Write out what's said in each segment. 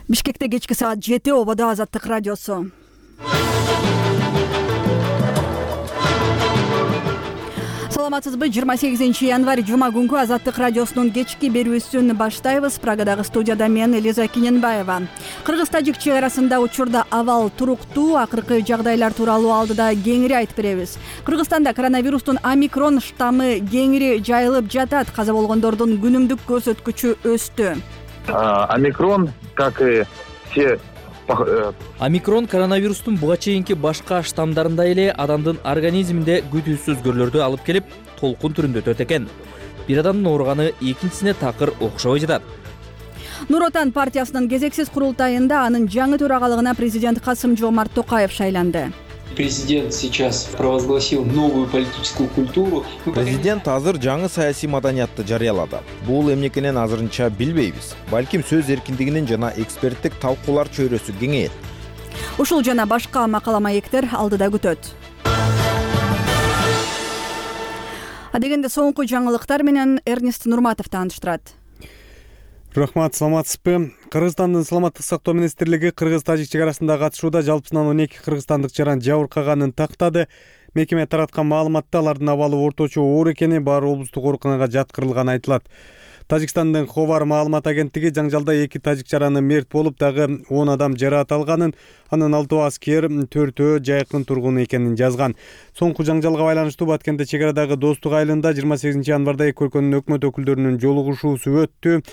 Бишкекте кечки саат 7 ободо Азаттык радиосу. Саламатсызбы? 28 январь жума күнгү Азаттык радиосунун кечки берүүсүн баштайбыз. Прагадагы студияда мен Элиза Киненбаева. Кыргыз-тажик чек арасында учурда абал туруктуу, акыркы жагдайлар тууралуу алдыда кеңири айтып беребиз. Кыргызстанда коронавирустун омикрон штаммы кеңири жайылып жатат. Каза болгондордун күнүмдүк көрсөткүчү өстү. Омикрон, как и все... Омикрон коронавирустун буга чейинки башка штаммдарындай эле адамдын организминде күтүүсүз өзгөрүүлөрдү алып келип, толкун түрүндө өтөт экен. Бир адамдын ооруганы экинчисине такыр окшобой жатат. Нур Отан партиясынын кезексиз курултайында анын жаңы төрагалыгына президент Касым-Жомарт Токаев шайланды. Президент сейчас провозгласил новую политическую культуру. Президент азыр жаңы саясий маданиятты жарыялады. Бул эмнекенен азырынча билбейбиз. Балким сөз эркиндигинин жана эксперттик талкуулар чөйрөсү кеңейет. Ушул жана башка макала маектер алдыда күтөт. Адегенде соңку жаңылыктар менен Эрнест Нурматов тааныштырат. Рахмат, саламатсызбы? Кыргызстандын саламаттык сактоо министрлиги Кыргыз-тажик чек арасында катышууда жалпысынан 12 кыргызстандык жаран жабыркаганын тактады. Мекеме тараткан маалыматта алардын абалы орточо оор экени, баары облустук ооруканага жаткырылганы айтылат. Тажикстандын Ховар маалымат агенттиги жаңжалда 2 тажик жараны мерт болуп, дагы 10 адам жараат алганын, анын 6 аскер, 4 жайкын тургуну экенин жазган. Соңку жаңжалга байланыштуу Баткенде чек арадагы Достук айылында 28 январда эки өлкөнүн өкмөт өкүлдөрүнүн жолугушуусу өттү.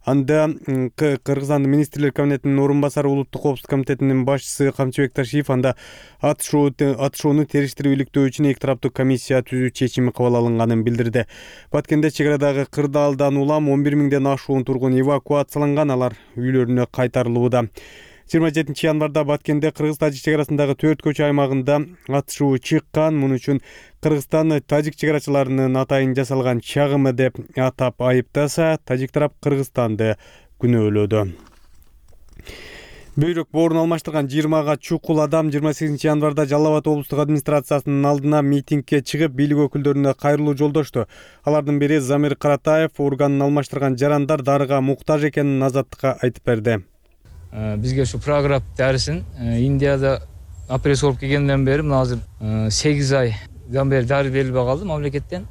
Анда Кыргызстандын министрлер кабинетинин орун басары улуттук коопсуздук комитетинин башчысы Камчыбек Ташиев анда атышууну териштирип иликтөө үчүн эки тараптуу комиссия түзүү чечими кабыл алынганын билдирди. Баткенде чек арадагы кырдаалдан улам 11 миңден ашуун тургун эвакуацияланган, алар үйлөрүнө кайтарылууда. 27 январда Баткенде Кыргыз-тажик чек арасындагы 4 көчө аймагында атышуу чыккан. Муну үчүн Кыргызстан тажик чек арачыларынын атайын жасалган чагымы деп атап айыптаса, тажик тарап Кыргызстанды күнөөлөдү. Бөйрөк боорун алмаштырган 20 чукул адам 28 январда Жалал Абад облустук администрациясынын алдына митингге чыгып, бийлик өкүлдөрүнө кайрылуу жолдошту. Алардын бири Замир Каратаев органын алмаштырган жарандар дарыга муктаж экенин Азаттыкка айтып берди. Бизге ушу програф дарысын Индияда операция болуп келгенден бери мына азыр 8 айдан бери дары берилбей калды мамлекеттен.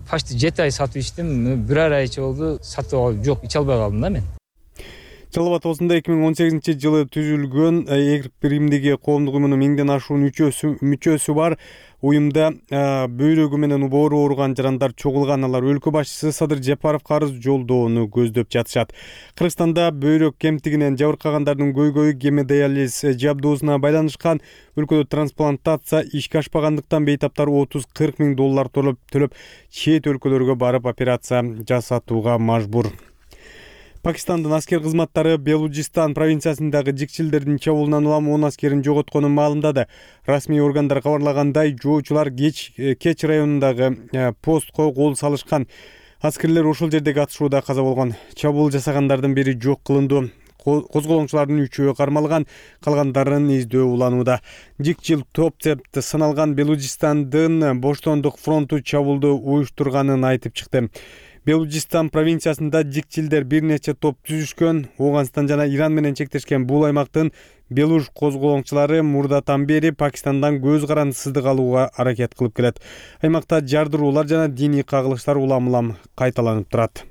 Почти 7 ай сатып ичтим, бир айча болду сатып алып жок, иче албай калдым да мен. Жалал Абад облусунда 2018-жылы түзүлгөн Эк биримдиги коомдук уюмунун 1000ден ашуун мүчөсү бар. Уюмда бөйрөгү менен боору ооруган жарандар чогулган. Алар өлкө башчысы Садыр Жапаровго арыз жолдоону көздөп жатышат. Кыргызстанда бөйрөк кемтигинен жабыркагандардын көйгөйү гемодиализ жабдуусуна байланышкан. Өлкөдө трансплантация ишке ашпагандыктан бейтаптар $30-40 миң төлөп чет өлкөлөргө барып операция жасатууга мажбур. Пакистандын аскер кызматтары Белуджистан провинциясындагы жикчилдердин чабуулунан улам 10 аскерин жоготконун маалымдады. Расмий органдар кабарлагандай, жоочулар Кеч районундагы постко кол салышкан. Аскерлер ушул жердеги атышууда каза болгон. Чабуул жасагандардын бири жок кылынды. Козголоңчулардын 3-өө кармалган, калгандарын издөө уланууда. Жикчил топ сыналган Белуджистандын Боштондук фронту чабуулду уюштурганын айтып чыкты. Белуджистан провинциясында жикчилдер бир нече топ түзүшкөн. Ооганстан жана Иран менен чектешкен бул аймактын Белуж козголоңчулары мурдатан бери Пакистандан көз карандысыздык алууга аракет кылып келет. Аймакта жардыруулар жана диний кагылыштар улам-улам кайталанып турат.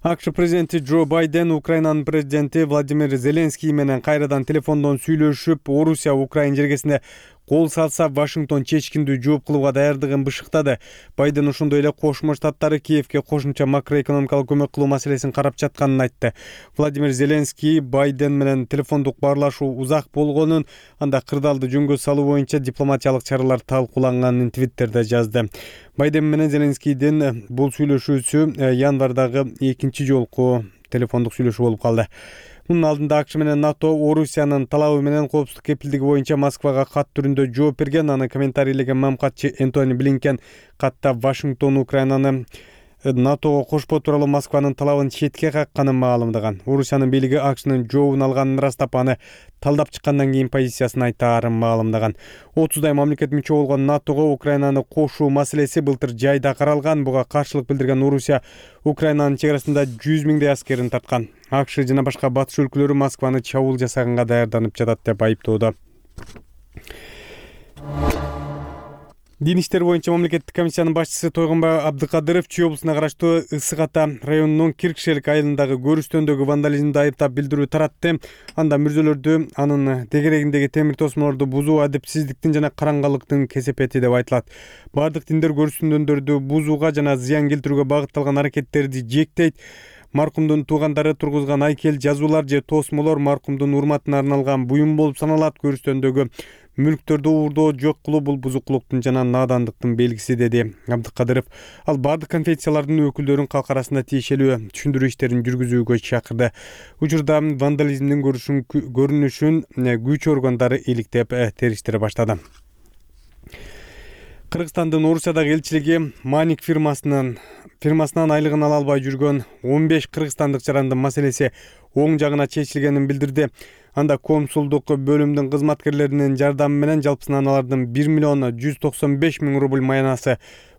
АКШ президенти Джо Байден Украинанын президенти Владимир Зеленский менен кайрадан телефондон сүйлөшүп, Орусия Украин жергесине кол салса Вашингтон чечкиндүү жооп кылууга даярдыгын бышыктады. Байден ошондой эле Кошмо Штаттары Киевке кошумча макроэкономикалык көмөк кылуу маселесин карап жатканын айтты. Владимир Зеленский Байден менен телефондук баарлашуу узак болгонун, анда кырдаалды жөнгө салуу боюнча дипломатиялык чаралар талкууланганын Твиттерде жазды. Байден менен Зеленскийдин бул сүйлөшүүсү январдагы экинчи жолку телефондук сүйлөшүү болуп калды. Мунун алдында АКШ менен НАТО Орусиянын талабы менен коопсуздук кепилдиги боюнча Москвага кат түрүндө жооп берген. Аны комментарийлеген мамкатчы Энтони Блинкен катта Вашингтон Украинаны НАТОго кошпоо тууралуу Москванын талабын четке какканын маалымдаган. Орусиянын бийлиги АКШнын жообун алганын ырастап, аны талдап чыккандан кийин позициясын айтаарын маалымдаган. 30 мамлекет мүчө болгон НАТОго Украинаны кошуу маселеси былтыр жайда каралган. Буга каршылык билдирген Орусия Украинанын чек арасында 100 миңдей аскерин тарткан. АКШ жана башка батыш өлкөлөрү Москваны чабуул жасаганга даярданып жатат деп айыптоодо. Дин иштери боюнча мамлекеттик комиссиянын башчысы Тойгонбай Абдыкадыров Чүй облусуна караштуу Ысык Ата районунун Киркшелик айылындагы көрүштөндөгү вандализмди айыптап билдирүү таратты. Анда мүрзөлөрдү анын тегерегиндеги темир тосмолорду бузуу адепсиздиктин жана караңгылыктын кесепети деп айтылат. Бардык диндер көрүштөндөрдү бузууга жана зыян келтирүүгө багытталган аракеттерди жектейт. Маркумдун туугандары тургузган айкел, жазуулар же тосмолор маркумдун урматына арналган буюм болуп саналат. Көрүштөндөгү мүлктөрдү уурдоо, жок кылуу бул бузукулуктун жана наадандыктын белгиси, деди Абдыкадыров. Ал бардык конфессиялардын өкүлдөрүн калк арасында тиешелүү түшүндүрүү иштерин жүргүзүүгө чакырды. Учурда вандализмдин көрүнүшүн күч органдары иликтеп териштире баштады. Кыргызстандын Орусиядагы элчилиги Маник фирмасынан айлыгын ала албай жүргөн 15 кыргызстандык жарандын маселеси оң жагына чечилгенин билдирди. Анда консулдук бөлүмдүн кызматкерлеринин жардамы менен жалпысынан алардын 1 миллион 195 миң рубль маянасы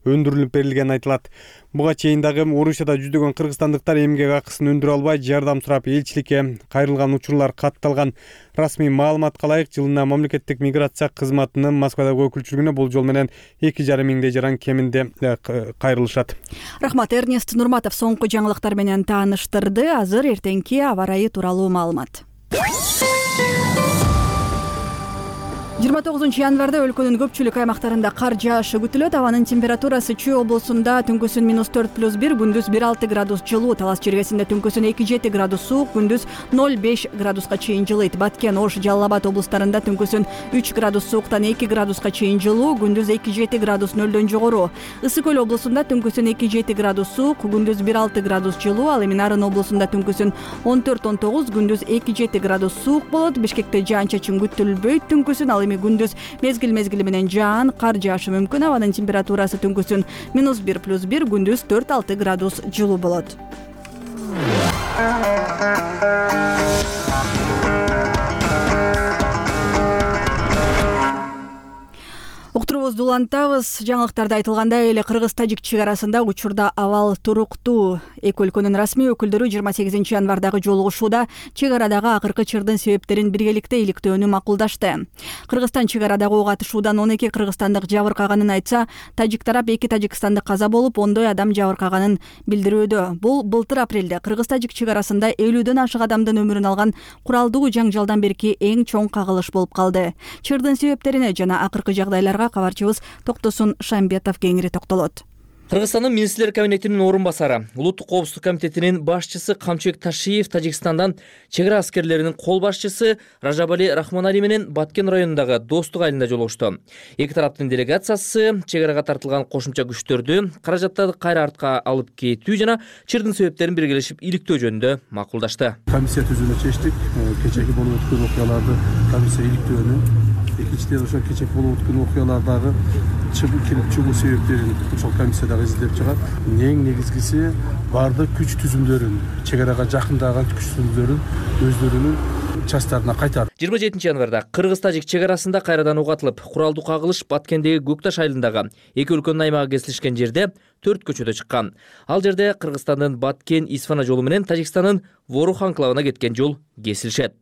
өндүрүлүп берилгени айтылат. Буга чейин дагы Орусияда жүздөгөн кыргызстандыктар эмгек акысын өндүрө албай жардам сурап элчиликке кайрылган учурлар катталган. Расмий маалыматка ылайык, жылына мамлекеттик миграция кызматынын Москвадагы өкүлчүлүгүнө бул жол менен 2,5 миңдей жаран кеминде кайрылышат. Рахмат, Эрнест Нурматов соңку жаңылыктар менен тааныштырды. Азыр эртеңки аба ырайы тууралуу маалымат. 29 январда өлкөнүн көпчүлүк аймактарында кар жаашы күтүлөт. Абанын температурасы Чүй облусунда түнкүсүн -4+1, күндүз 1,6 градус жылуу, Талас жергесинде түнкүсүн 2,7 градус суук, күндүз 0,5 градуска чейин жылыйт. Баткен, Ош, Жалал Абад облустарында түнкүсүн 3 градус сууктан 2 градуска чейин жылуу, күндүз 2,7 градус нөлдөн жогору. Ысык Көл облусунда түнкүсүн 2,7 градус суук, күндүз 1,6 градус жылуу, ал эми Нарын облусунда түнкүсүн 14-19, күндүз 2,7 градус суук болот. Бишкекте жаан-чачын күтүлбөйт түнкүсүн, ал эми күндүз мезгил менен жаан, кар жаашы мүмкүн. Абанын температурасы түнкүсүн -1+1, күндүз 4-6 градус жылуу болот. Уктуруубузду улантабыз. Жаңылыктарда айтылгандай эле Кыргыз-Тажик чек арасында учурда абал туруктуу. Эки өлкөнүн расмий өкүлдөрү 28 январдагы жолугушууда чек арадагы акыркы чырдын себептерин биргеликте иликтөөнү макулдашты. Кыргызстан чек арадагы ок атышуудан 12 кыргызстандык жабыркаганын айтса, тажик тарап 2 тажикстандык каза болуп, 10 адам жабыркаганын билдирүүдө. Бул былтыр апрелде Кыргыз-Тажик чек арасында 50дөн ашык адамдын өмүрүн алган куралдуу жаңжалдан берки эң чоң кагылыш болуп калды. Чырдын себептерине жана акыркы жагдайларга кабарчыбыз Токтосун Шамбетов кеңири токтолот. Кыргызстандын министрлер кабинетинин орун басары, улуттук коопсуздук комитетинин башчысы Камчыбек Ташиев Тажикстандан чек ара аскерлеринин кол башчысы Ражабали Рахманари менен Баткен районундагы Достук айылында жолугушту. Эки тараптын делегациясы чек арага тартылган кошумча күчтөрдү, каражаттарды кайра артка алып кетүү жана чырдын себептерин биргелешип иликтөө жөнүндө макулдашты. Комиссия түзүүнү чечтик. Кечеги болуп өткөн окуяларды комиссия иликтөөнү, экинчиден ошо кечеги болуп өткөн окуялардагы чыгуу себептерин ошол комиссияда изилдеп чыгат. Эң негизгиси бардык күч түзүмдөрүн, чек арага жакындаган күч түзүмдөрүн өздөрүнүн частарына кайтарды. 27 январда Кыргыз-Тажик чек арасында кайрадан ок атылып, куралдуу кагылыш Баткендеги Көкташ айылындагы эки өлкөнүн аймагы кесилишкен жерде 4 көчөдө чыккан. Ал жерде Кыргызстандын Баткен-Исфана жолу менен Тажикстандын Ворух анклавына кеткен жол кесилишет.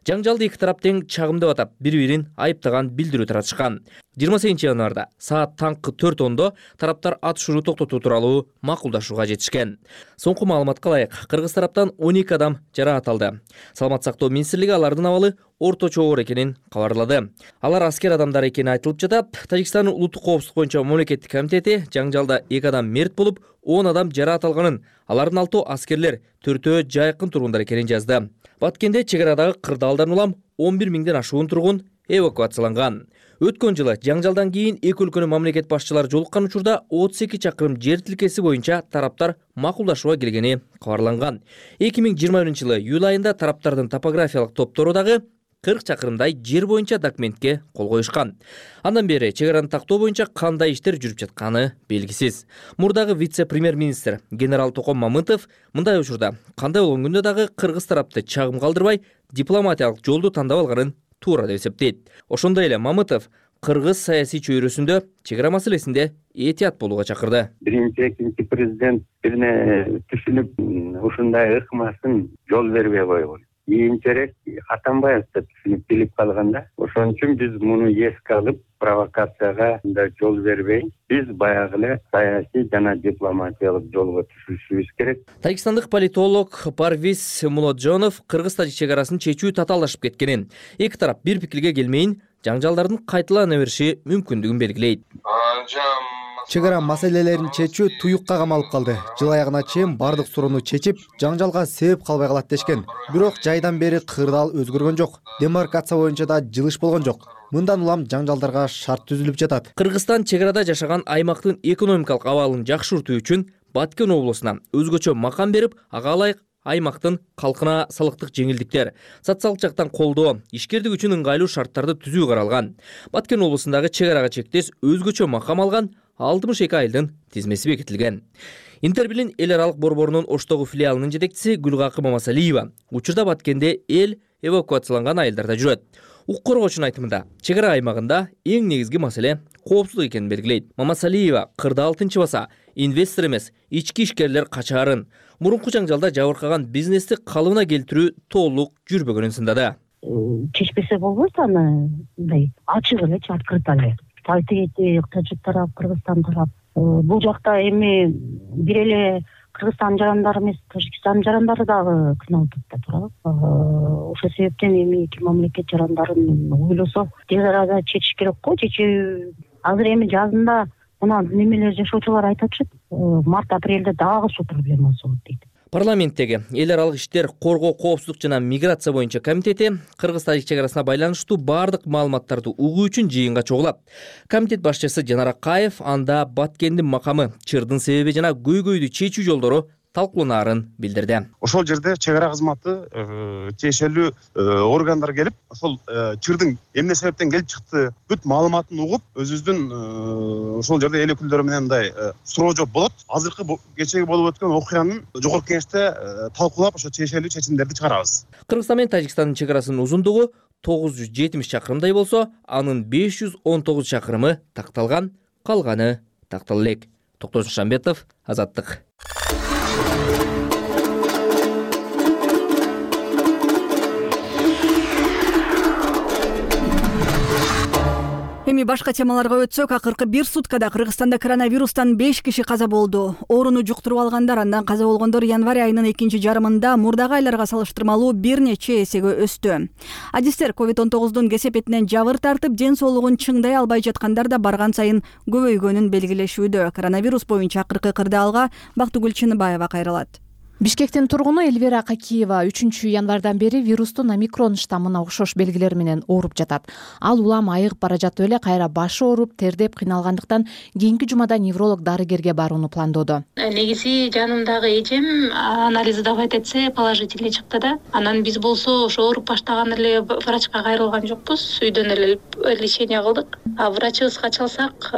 Жаңжалды эки тарап тең чагымдап атап, бири-бирин айыптаган билдирүү таратышкан. 28 январда саат таңкы 4:10 тараптар атышууну токтотуу тууралуу макулдашууга жетишкен. Соңку маалыматка ылайык, кыргыз тараптан 12 адам жараат алды. Саламат сактоо министрлиги алардын абалы орточо оор экенин кабарлады. Алар аскер адамдар экени айтылып жатат. Тажикстандын улуттук коопсуздук боюнча мамлекеттик комитети жаңжалда 2 адам мерт болуп, 10 адам жараат алганын, алардын 6 аскерлер, 4-өө жайкын тургундар экенин жазды. Баткенде чек арадагы кырдаалдан улам 11 миңден ашуун тургун эвакуацияланган. Өткөн жылы жаңжалдан кийин эки өлкөнүн мамлекет башчылары жолуккан учурда 32 чакырым жер тилкеси боюнча тараптар макулдашууга келгени кабарланган. 2021-жылы июль айында тараптардын топографиялык топтору дагы 40 чакырымдай жер боюнча документке кол коюшкан. Андан бери чек араны тактоо боюнча кандай иштер жүрүп жатканы белгисиз. Мурдагы вице-премьер-министр генерал Током Мамытов мындай учурда кандай болгон күндө дагы кыргыз тарапты чагым калтырбай дипломатиялык жолду тандап алганын туура деп эсептейт. Ошондой эле Мамытов кыргыз саясий чөйрөсүндө чек ара маселесинде этият болууга чакырды. Биринчи, экинчи президент бирине түшүнүп ушундай ыкмасын жол бербей койгон. Кийинчерээк Атамбаев да түшүнүп билип калганда, ошон үчүн биз муну эске алып, провокацияга да жол бербей, биз баягы эле саясий жана дипломатиялык жолго түшүшүбүз керек. Тажикстандык политолог Парвиз Мулоджонов кыргыз-тажик чек арасын чечүү татаалдашып кеткенин, эки тарап бир пикирге келмейин, жаңжалдардын кайталана бериши мүмкүндүгүн белгилейт. Чек ара маселелерин чечүү туюкка камалып калды. Жыл аягына чейин бардык суроону чечип, жаңжалга себеп калбай калат дешкен. Бирок жайдан бери кырдаал өзгөргөн жок. Демаркация боюнча да жылыш болгон жок. Мындан улам жаңжалдарга шарт түзүлүп жатат. Кыргызстан чек арада жашаган аймактын экономикалык абалын жакшыртуу үчүн Баткен облусуна өзгөчө макам берип, ага ылайык аймактын калкына салыктык жеңилдиктер, социалдык жактан колдоо, ишкердик үчүн ыңгайлуу шарттарды түзүү каралган. Баткен облусундагы чек арага чектеш өзгөчө макам алган 62 айылдын тизмеси бекитилген. Интербилин эл аралык борборунун Оштогу филиалынын жетекчиси Гүлгакы Мамасалиева учурда Баткенде эл эвакуацияланган айылдарда жүрөт. Укук коргоочунун айтымында, чек ара аймагында эң негизги маселе коопсуздук экенин белгилейт. Мамасалиева кырдаал тынчыбаса, инвестор эмес, ички ишкерлер качаарын, мурунку жаңжалда жабыркаган бизнести калыбына келтирүү толук жүрбөгөнүн сындады. Чечпесе болбойт, аны мындай ачык элечи, открыто эле. Тайти тажик тарап, Кыргызстан тарап. Бул жакта эми бир эле Кыргызстан жарандары эмес, Тажикстан жарандары дагы кыйналып турат. Ошол себептен эми эки мамлекет жарандарын ойлосо, чек арада чечиш керек го. Чечүү азыр эми жазында мына немелер жашоочулар айтатышат, март-апрелде дагы суу проблемасы болот дейт. Парламенттеги эл аралык иштер, коргоо, коопсуздук жана миграция боюнча комитети Кыргыз-Тажик чек арасына байланыштуу бардык маалыматтарды угуу үчүн жыйынга чогулат. Комитет башчысы Жанар Акаев анда Баткендин макамы, чырдын себеби жана көйгөйдү чечүү жолдору талкууланаарын билдирди. Ошол жерде чек ара кызматы тиешелүү органдар келип, ошол чырдын эмне себептен келип чыкты бүт маалыматын угуп, өзүбүздүн ошол жерде эл өкүлдөрү менен мындай суроо жооп болот. Азыркы кечеги болуп өткөн окуянын жогорку кеңеште талкуулап, ошо тиешелүү чечимдерди чыгарабыз. Кыргызстан менен Тажикстандын чек арасынын узундугу 970 чакырымдай болсо, анын 519 чакырымы такталган, калганы тактала элек. Токтосун Шамбетов, Азаттык. Эми башка темаларга өтсөк, акыркы бир суткада Кыргызстанда коронавирустан 5 киши каза болду. Ооруну жуктуруп алгандар, андан каза болгондор январь айынын экинчи жарымында мурдагы айларга салыштырмалуу бир нече эсеге өстү. Адистер COVID-19 кесепетинен жабыр тартып, ден соолугун чыңдай албай жаткандар да барган сайын көбөйгөнүн белгилешүүдө. Коронавирус боюнча акыркы кырдаалга Бактыгүл Чыныбаева кайрылат. Бишкектин тургуну Эльвира Какиева 3 январдан бери вирустун омикрон штаммына окшош белгилер менен ооруп жатат. Ал улам айыгып бара жатып эле кайра башы ооруп, тердеп кыйналгандыктан кийинки жумада невролог дарыгерге барууну пландоодо. Негизи жанымдагы эжем анализ давать этсе положительный чыкты да. Анан биз болсо ошо ооруп баштаган эле врачка кайрылган жокпуз. Үйдөн эле лечение кылдык. А врачыбызга чалсак,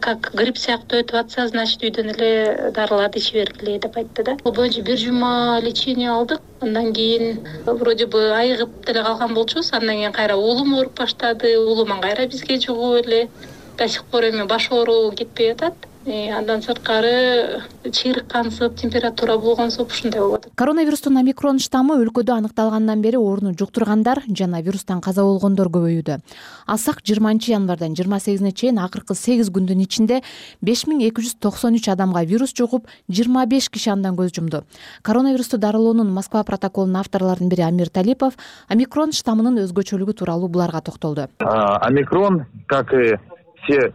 как грипп сыяктуу өтүп атса, значит үйдөн эле дарыларды ичи бергиле деп айтты да. Бир жума лечение алдык. Андан кийин вроде бы айыгып деле калган болчубуз. Андан кийин кайра уулум ооруп баштады. Уулуман кайра бизге жугуп эле до сих пор эми баш ооруу кетпей атат. Андан сырткары чыйрык кансып, температура болгонсуп ушундай болуп атат. Коронавирустун омикрон штаммы өлкөдө аныкталгандан бери ооруну жуктургандар жана вирустан каза болгондор көбөйүүдө. Алсак 20 январдан 28-не чейин акыркы 8 күндүн ичинде 5293 адамга вирус жугуп, 25 киши андан көз жумду. Коронавирусту дарылоонун Москва протоколунун авторлорунун бири Амир Талипов омикрон штаммынын өзгөчөлүгү тууралуу буларга токтолду. Омикрон, как и все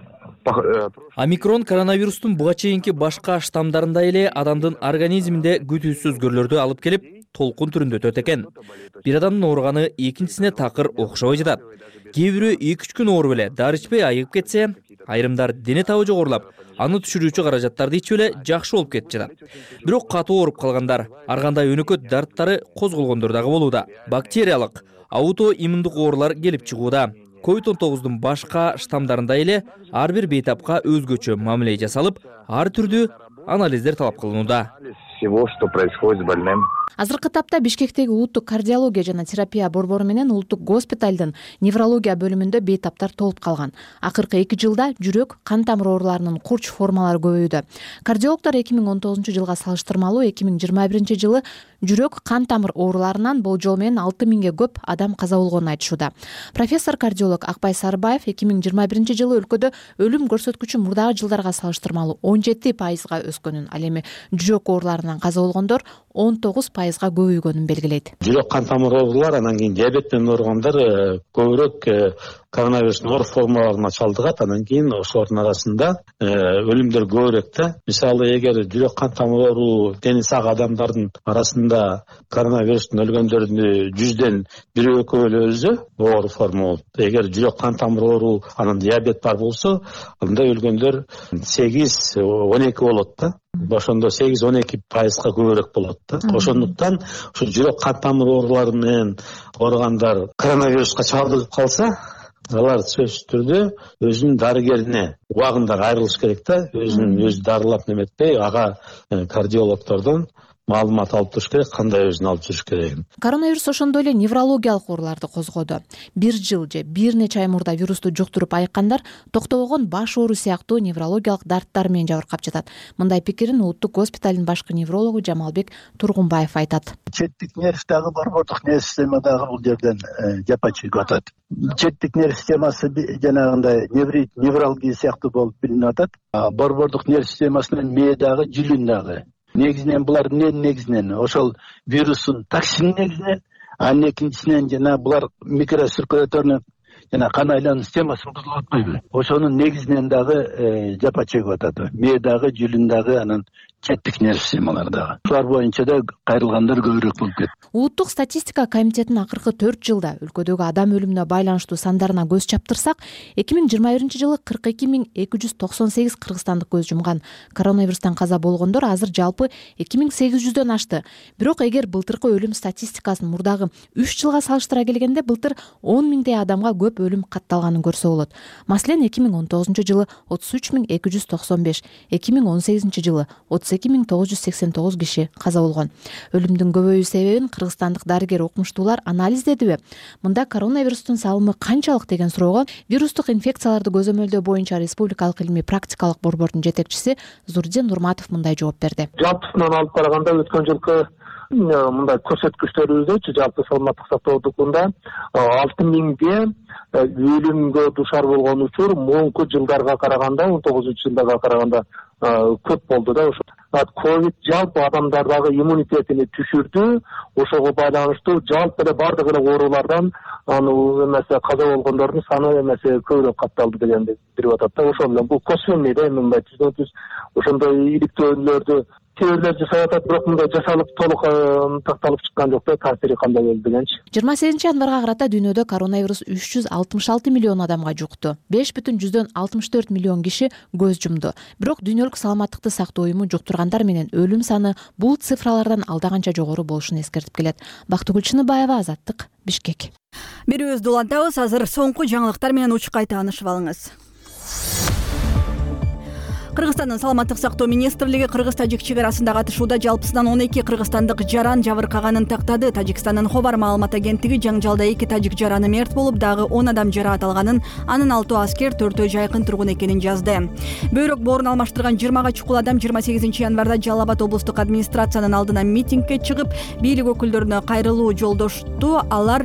Омикрон коронавирустун буга чейинки башка штаммдарындай эле адамдын организминде күтүүсүз өзгөрүүлөрдү алып келип, толкун түрүндө өтөт экен. Бир адамдын ооруганы экинчисине такыр окшобой жатат. Кээ бирөө 2-3 күн ооруп эле дары ичпей айыгып кетсе, айрымдар дене табы жогорулап, аны түшүрүүчү каражаттарды ичип эле жакшы болуп кетип жатат. Бирок катуу ооруп калгандар, ар кандай өнөкөт дарттары козголгондор дагы болууда. Бактериялык, аутоиммундук оорулар келип чыгууда. COVID-19 башка штаммдарындай эле ар бир бейтапка өзгөчө мамиле жасалып, ар түрдүү анализдер талап кылынууда. всего, что происходит с больным. Азыркы тапта Бишкектеги улуттук кардиология жана терапия борбору менен улуттук госпиталдын неврология бөлүмүндө бейтаптар толуп калган. Акыркы 2 жылда жүрөк, кан тамыр ооруларынын курч формалары көбөйдү. Кардиологдор 2019 жылга салыштырмалуу 2021 жылы жүрөк, кан тамыр ооруларынан болжол менен 6000ге көп адам каза болгонун айтышууда. Профессор кардиолог Акбай Сарыбаев 2021 жылы өлкөдө өлүм көрсөткүчү мурдагы жылдарга салыштырмалуу 17% өскөнүн, ал эми жүрөк ооруларынан каза болгондор 19% көбөйгөнүн белгилейт. Жүрөк кан тамыр оорулар, анан кийин диабет менен ооругандар көбүрөөк коронавирустун оор формаларына чалдыгат. Анан кийин ошолордун арасында өлүмдөр көбүрөөк да. Мисалы, эгер жүрөк кан тамыр оору дени сак адамдардын арасында коронавирустун өлгөндөрдүн 100дөн 1-2 эле өлсө, оор форма болот. Эгер жүрөк кан тамыр оору анан диабет бар болсо, анда өлгөндөр 8-12 болот да. Ошондо 8-12% көбүрөөк болот да. Ошондуктан ушу жүрөк кан тамыр оорулары менен ооругандар коронавируска чалдыгып калса, алар сөзсүз түрдө өзүнүн дарыгерине убагында кайрылыш керек да. Өзү дарылап неметпей, ага кардиологдордон маалымат алып туруш керек, кандай өзүн алып жүрүш керегин. Коронавирус ошондой эле неврологиялык ооруларды козгоду. 1 жыл же 1 нече ай мурда вирусту жуктуруп айыккандар токтобогон баш оору сыяктуу неврологиялык дарттар менен жабыркап жатат. Мындай пикирин улуттук госпиталдын башкы неврологу Жамалбек Тургунбаев айтат. Четтик нерв дагы борбордук нерв системадагы бул жерден жапа чегип атат. Четтик нерв системасы жанагындай невралгия сыяктуу болуп билинип атат. Борбордук нерв системасынын мээ дагы, жүлүн дагы. Негизинен булар негизинен ошол вирустун токсини негизинен, анын экинчисинен жана булар микроциркуляторный жана кан айлануу системасын бузулуп атпайбы? Ошонун негизинен дагы жапа чегип атат. Мээ дагы, жүлүн дагы, анан четтик нерв системалары дагы. Шулар боюнча да кайрылгандар көбүрөөк болуп кетти. Улуттук статистика комитетинин акыркы 4 жылда өлкөдөгү адам өлүмүнө байланыштуу сандарына көз чаптырсак, 2021 жылы 42298 кыргызстандык көз жумган. Коронавирустан каза болгондор азыр жалпы 2800дөн ашты. Бирок эгер былтыркы өлүм статистикасын мурдагы 3 жылга салыштыра келгенде, былтыр 10 миңдей адамга көп өлүм катталганын көрсө болот. Маселен, 2019 жылы 33295, 2018 жылы 32989 киши каза болгон. Өлүмдүн көбөйүү себебин кыргызстандык дарыгер окумуштуулар анализдедиби? Мында коронавирустун салымы канчалык деген суроого вирустук инфекцияларды көзөмөлдөө боюнча республикалык илимий практикалык борбордун жетекчиси Зурдин Нурматов мындай жооп берди. Жалпысынан алып караганда өткөн жылкы мындай көрсөткүчтөрүбүздө жалпы саламаттык сактоодукунда 6000ге өлүмгө душар болгон учур муңку жылдарга караганда, 19-жылдарга караганда көп болду да. Ковид жалпы адамдардагы иммунитетини түшүрдү. Ошого байланыштуу жалпы эле бардык эле оорулардан эмесе каза болгондордун саны эмесе көбүрөөк катталды дегенди билип атат да. Ошол менен бул косвенный да, мындай түзүнүксүз ошондой иликтөөлөрдү теориялар жасап атат, бирок мындай жасалып толук такталып чыккан жок да, таасири кандай болду дегенчи. 28 январга карата дүйнөдө коронавирус 366 миллион адамга жукту. 5,64 миллион киши көз жумду. Бирок дүйнөлүк саламаттыкты сактоо уюму жуктургандар менен өлүм саны бул цифралардан алда канча жогору болушун эскертип келет. Бактыгүл Чыныбаева, Азаттык, Бишкек. Берүүбүздү улантабыз. Азыр соңку жаңылыктар менен учкай таанышып алыңыз. Кыргызстандын саламаттык сактоо министрлиги Кыргыз-Тажик чек арасында катышууда жалпысынан 12 кыргызстандык жаран жабыркаганын тактады. Тажикстандын Хобар маалымат агенттиги жаңжалда 2 тажик жараны мерт болуп, дагы 10 адам жараат алганын, анын 6 аскер, 4 жайкын тургун экенин жазды. Бөйрөк боорун алмаштырган 20га чукул адам 28 январда Жалал Абад облустук администрациянын алдына митингге чыгып, бийлик өкүлдөрүнө кайрылуу жолдошту. Алар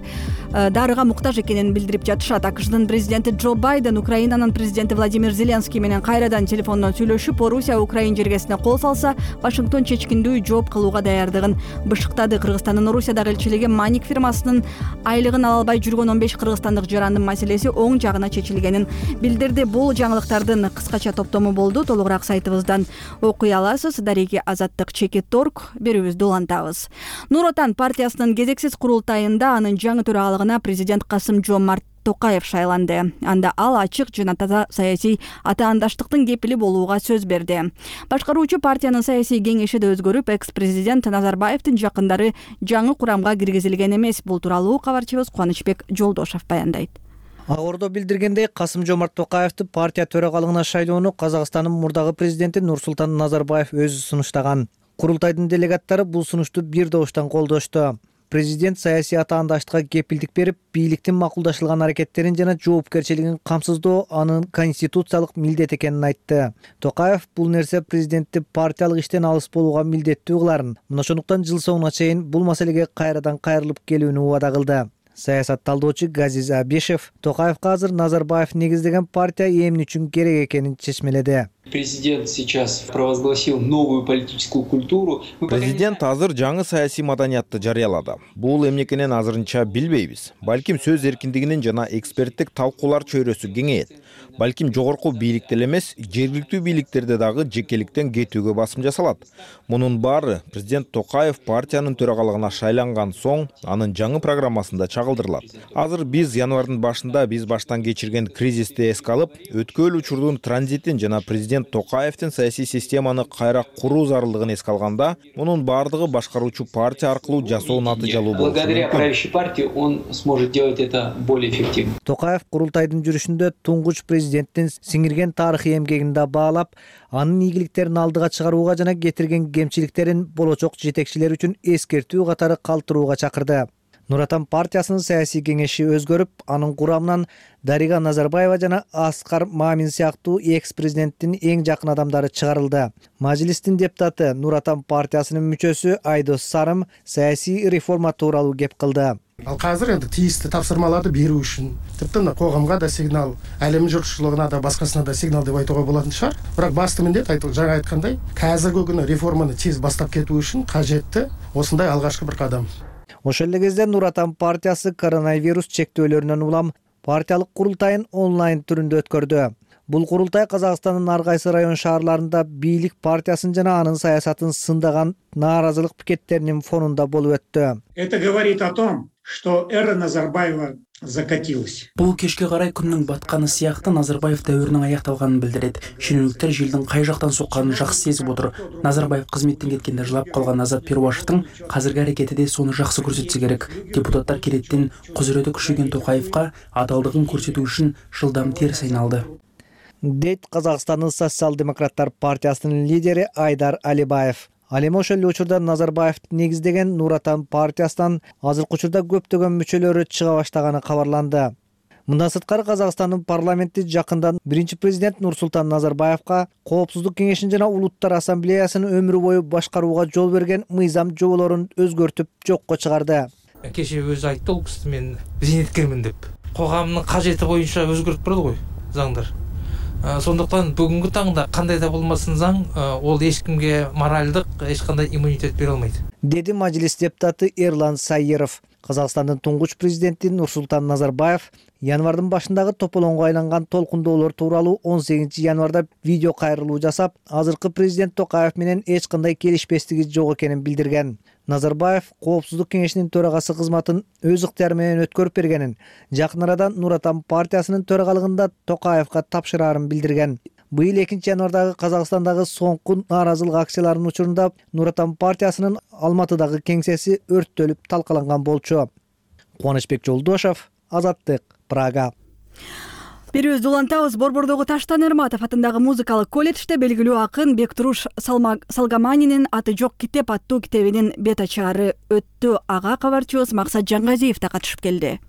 дарыга муктаж экенин билдирип жатышат. АКШдын президенти Джо Байден Украинанын президенти Владимир Зеленский менен кайрадан телефондон сүйлөшүп, Орусия Украин жергесине кол салса, Вашингтон чечкиндүү жооп кылууга даярдыгын бышыктады. Кыргызстандын Орусиядагы элчилиги Маник фирмасынын айлыгын ала албай жүргөн 15 кыргызстандык жарандын маселеси оң жагына чечилгенин билдирди. Бул жаңылыктардын кыскача топтому болду. Толугураак сайтыбыздан окуй аласыз. Дареги Азаттык Чекит.org. Берүүбүздү улантабыз. Нур Отан партиясынын кезексиз курултайында анын жаңы төрагалыгына президент Касым-Жомарт Токаев шайланды. Анда ал ачык жана таза саясий атаандаштыктын кепили болууга сөз берди. Башкаруучу партиянын саясий кеңеши да өзгөрүп, экс-президент Назарбаевдин жакындары жаңы курамга киргизилген эмес. Бул тууралуу кабарчыбыз Кубанычбек Жолдошов баяндайт. Ак Ордо билдиргендей, Касым-Жомарт Токаевди партия төрагалыгына шайлоону Казакстандын мурдагы президенти Нурсултан Назарбаев өзү сунуштаган. Курултайдын делегаттары бул сунушту бир добуштан колдошту. Президент саясий атаандаштыкка кепилдик берип, бийликтин макулдашылган аракеттерин жана жоопкерчилигин камсыздоо анын конституциялык милдет экенин айтты. Токаев бул нерсе президентти партиялык иштен алыс болууга милдеттүү кыларын, мына ошондуктан жыл соңуна чейин бул маселеге кайрадан кайрылып келүүнү убада кылды. Саясат талдоочу Газиз Абишев Токаевка азыр Назарбаев негиздеген партия эмне үчүн керек экенин чечмеледи. Президент сейчас провозгласил новую политическую культуру. Президент азыр жаңы саясий маданиятты жарыялады. Бул эмне экенин азырынча билбейбиз. Балким сөз эркиндигинин жана эксперттик талкуулар чөйрөсү кеңейет. Балким жогорку бийликте эмес, жергиликтүү бийликтерде дагы жекеликтен кетүүгө басым жасалат. Мунун баары президент Токаев партиянын төрагалыгына шайланган соң анын жаңы программасында чагылдырылат. Азыр биз январдын башында биз баштан кечирген кризисти эске алып, өткөн учурдун транзитин жана президент Токаевдин саясий системаны кайра куруу зарылдыгын эске алганда, мунун баардыгы башкаруучу партия аркылуу жасоо натыйжалуу болушу мүмкүн. Благодаря правящей партии он сможет делать это более эффективно. Токаев курултайдын жүрүшүндө туңгуч президенттин сиңирген тарыхый эмгегин да баалап, анын ийгиликтерин алдыга чыгарууга жана кетирген кемчиликтерин болочок жетекчилер үчүн эскертүү катары калтырууга чакырды. Нур Отан партиясынын саясий кеңеши өзгөрүп, анын курамынан Дарига Назарбаева жана Аскар Мамин сыяктуу экс-президенттин эң жакын адамдары чыгарылды. Мажлистин депутаты Нур Отан партиясынын мүчөсү Айдос Сарым саясий реформа тууралуу кеп кылды. Ал азыр энди тийиштүү тапсырмаларды берүү үчүн, типти коомго да сигнал, алем журтчулугуна да башкасына да сигнал деп айтууга болатын шаар. Бирок басты милдет жаңы айткандай, азыркы күнү реформаны тез бастап кетүү үчүн кажетти осундай алгачкы бир кадам. Ошол эле кезде Нур Отан партиясы коронавирус чектөөлөрүнөн улам партиялык курултайын онлайн түрүндө өткөрдү. Бул курултай Казакстандын ар кайсы район шаарларында бийлик партиясын жана анын саясатын сындаган нааразылык пикеттеринин фонунда болуп өттү. Это говорит о том, что эра Назарбаева закатилась. Бул кечке карай күндүн батканы сыяктуу Назарбаев дәүрүнүн аякталганын билдирет. Шенеунүктөр желдин кай жактан сокканын жакшы сезип отур. Назарбаев кызметтен кеткенде жылап калган Азат Перуашевдин азыркы аракети да сону жакшы көрсөтсө керек. Депутаттар кереттин кузурети күчөйгөн Токаевка адалдыгын көрсөтүү үчүн жылдам терс айналды. Дейт Казакстандын социал-демократтар партиясынын лидери Айдар Алибаев. Ал эми ошол эле учурда Назарбаевди негиздеген Нур Отан партиясынан азыркы учурда көптөгөн мүчөлөрү чыга баштаганы кабарланды. Мындан сырткары Казакстандын парламенти жакында биринчи президент Нурсултан Назарбаевка Коопсуздук кеңешин жана Улуттар ассамблеясын өмүрү бою башкарууга жол берген мыйзам жоболорун өзгөртүп жокко чыгарды. Кеше өзү айтты ол киши мен зейнеткермин деп. Коғамдын кажети боюнча өзгөртүп турат го заңдар. Сондуктан бүгүнкү таңда кандай да болмасын заң, ол эч кимге моралдык, эч кандай иммунитет бере албайт. Деди Мажилис депутаты Эрлан Сайыров. Казакстандын туңгуч президенти Нурсултан Назарбаев январдын башындагы тополоңго айланган толкундоолор тууралуу 18 январда видео кайрылуу жасап, азыркы президент Токаев менен эч кандай келишпестиги жок экенин билдирген. Назарбаев Коопсуздук кеңешинин төрагасы кызматын өз ыктыяры менен өткөрүп бергенин, жакын арада Нур Отан партиясынын төрагалыгында Токаевка тапшырарын билдирген. Быйыл 2 январдагы Казакстандагы соңку нааразылык акцияларынын учурунда Нур Отан партиясынын Алматыдагы кеңсеси өрттөлүп талкаланган болчу. Кубанычбек Жолдошов, Азаттык, Прага. Берүүбүздү улантабыз. Борбордогу Таштан Эрматов атындагы музыкалык колледжде белгилүү акын Бектуруш Салгаманинин Аты жок китеп аттуу китебинин бет ачаары өттү. Ага кабарчыбыз Максат Жангазиев да катышып келди.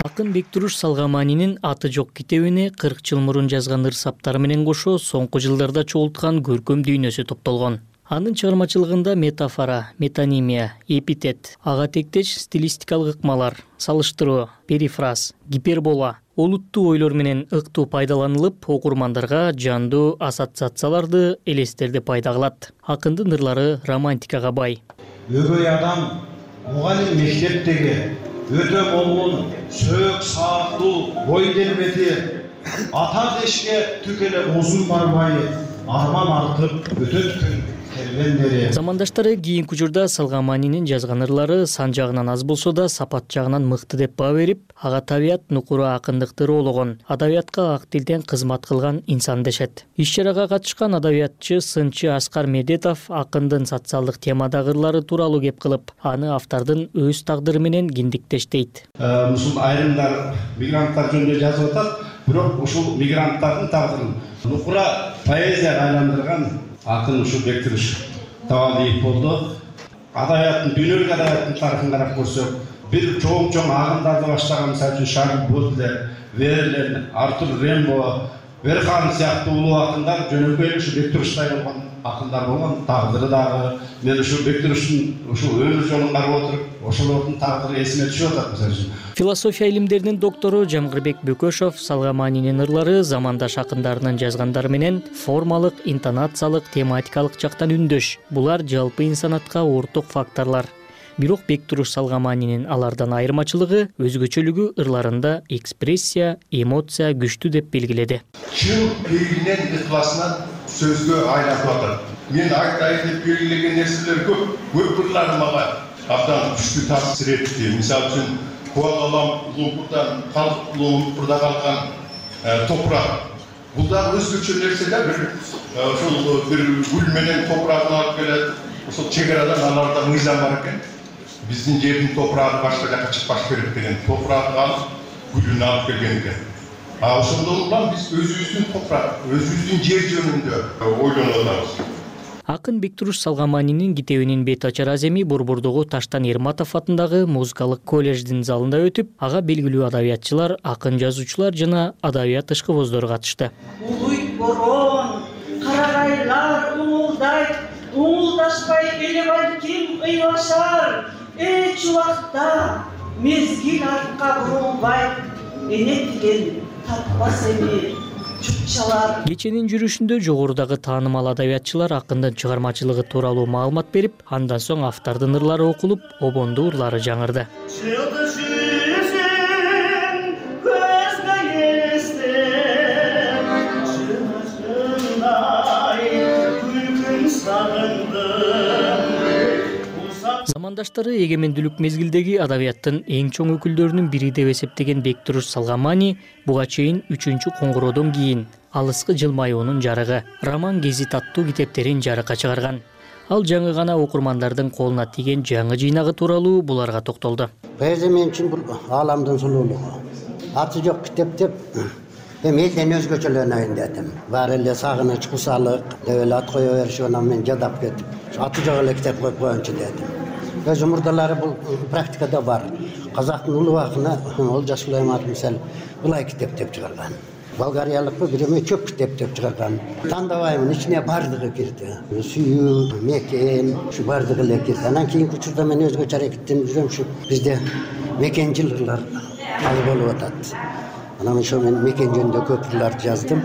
Акын Бектуруш Салгаманинин Аты жок китебине 40 жыл мурун жазган ырсаптары менен кошо соңку жылдарда чогулткан көркөм дүйнөсү топтолгон. Анын чыгармачылыгында метафора, метонимия, эпитет, ага тектеш стилистикалык ыкмалар, салыштыруу, перифраз, гипербола, олуттуу ойлор менен ыктуу пайдаланылып, окурмандарга жандуу ассоциацияларды, элестерди пайда кылат. Акындын ырлары романтикага бай. Өгөй адам мугалим мектептеги өтө болгон сөөк сааттуу бой келбети ата дешке түк эле узун барбай арман артып өтөт күн. Замандаштары кийинки учурда Салгаманинин жазган ырлары сан жагынан аз болсо да сапат жагынан мыкты деп баа берип, ага табият нукуру акындыкты роологон, адабиятка ак тилден кызмат кылган инсан дешет. Иш-чарага катышкан адабиятчы, сынчы Аскар Медетов акындын социалдык темадагы ырлары тууралуу кеп кылып, аны автордун өз тагдыры менен киндиктештейт. Ушул айрымдар мигранттар жөнүндө жазып атат. бирок ушул мигранттардын тагдырын нукура поэзияга айландырган акын ушул Бектуруш Табалиев болду. Адабияттын, дүйнөлүк адабияттын тарыхын карап көрсөк, бир чоң агымдарды баштаган, мисалы үчүн Шарль Бодлер, Верлен, Артур Рембо, Верхан сыяктуу улуу акындар жөнөкөй ушу Бектуруштай болгон акындар болгон. Тагдыры дагы мен ушул Бектуруштун ушул өмүр жолун карап отуруп, ошолордун тагдыры эсиме түшүп атат мисалы үчүн. Философия илимдеринин доктору Жамгырбек Бөкөшов Салгаманинин ырлары замандаш акындарынын жазгандары менен формалык, интонациялык, тематикалык жактан үндөш. Булар жалпы инсанатка орток факторлор. Бирок Бектуруш Салгаманинин алардан айырмачылыгы өзгөчөлүгү ырларында экспрессия, эмоция күчтүү деп белгиледи. Чын белгинен ыкласынан сөзгө айлатып атат. Мен айтайын деп белгилеген нерселер көп ырлар мага абдан күчтүү таасир этти. Мисалы үчүн Куалалам Лумпурдан калып Лумпурда калган топурак. Бул да өзгөчө нерселер, ошол бир гүл менен топурагын алып келет. Ошол чегарадан аларда мыйзам бар экен. Биздин жердин топурагы башка жакка чыкпаш керек деген. Топурагын алып, гүлүн алып келген экен. Ошондон улам биз өзүбүздүн топурак, өзүбүздүн жер жөнүндө ойлонуп атабыз. Акын Бектуруш Салгаманинин китебинин бет ачар аземи Борбордогу Таштан Эрматов атындагы музыкалык колледждин залында өтүп, ага белгилүү адабиятчылар, акын жазуучулар жана адабият ышкыбоздору катышты. Улуйт борон, карагайлар уңулдайт, уңулдашпай эле балким ыйлашар. Эч убакта мезгил артка бурулбайт, эне тиген таппас эми. Кеченин жүрүшүндө жогорудагы таанымал адабиятчылар акындын чыгармачылыгы тууралуу маалымат берип, андан соң автордун ырлары окулуп, обондуу ырлары жаңырды. Замандаштары эгемендүүлүк мезгилдеги адабияттын эң чоң өкүлдөрүнүн бири деп эсептеген Бектуруш Салгамани буга чейин 3-чү коңгуроодон кийин Алыскы жылмаюунун жарыгы, роман гезит аттуу китептерин жарыкка чыгарган. Ал жаңы гана окурмандардын колуна тийген жаңы жыйнагы тууралуу буларга токтолду. Поэзия мен үчүн бул ааламдын сулуулугу. Аты жок китеп деп эми элден өзгөчөлөнөйүн дедим. Баары эле сагыныч, кусалык деп эле ат кое беришип, анан мен жадап кетип, аты жок эле китеп коюп коеюнчу дедим. Өз мурдалары бул практикада бар. Казактын улуу акыны Олжас Сулайманов мисалы булай китеп деп чыгарган. Болгариялыкпы биреме чөп китеп деп чыгарган. Тандабаймын, ичине бардыгы кирди. Сүйүү, мекен, ушу бардыгы эле кирди. Анан кийинки учурда мен өзгөчө аракеттенип жүрөм, ушу бизде мекенчил ырлар аз болуп атат. Анан ошо мен мекен жөнүндө көп ырларды жаздым.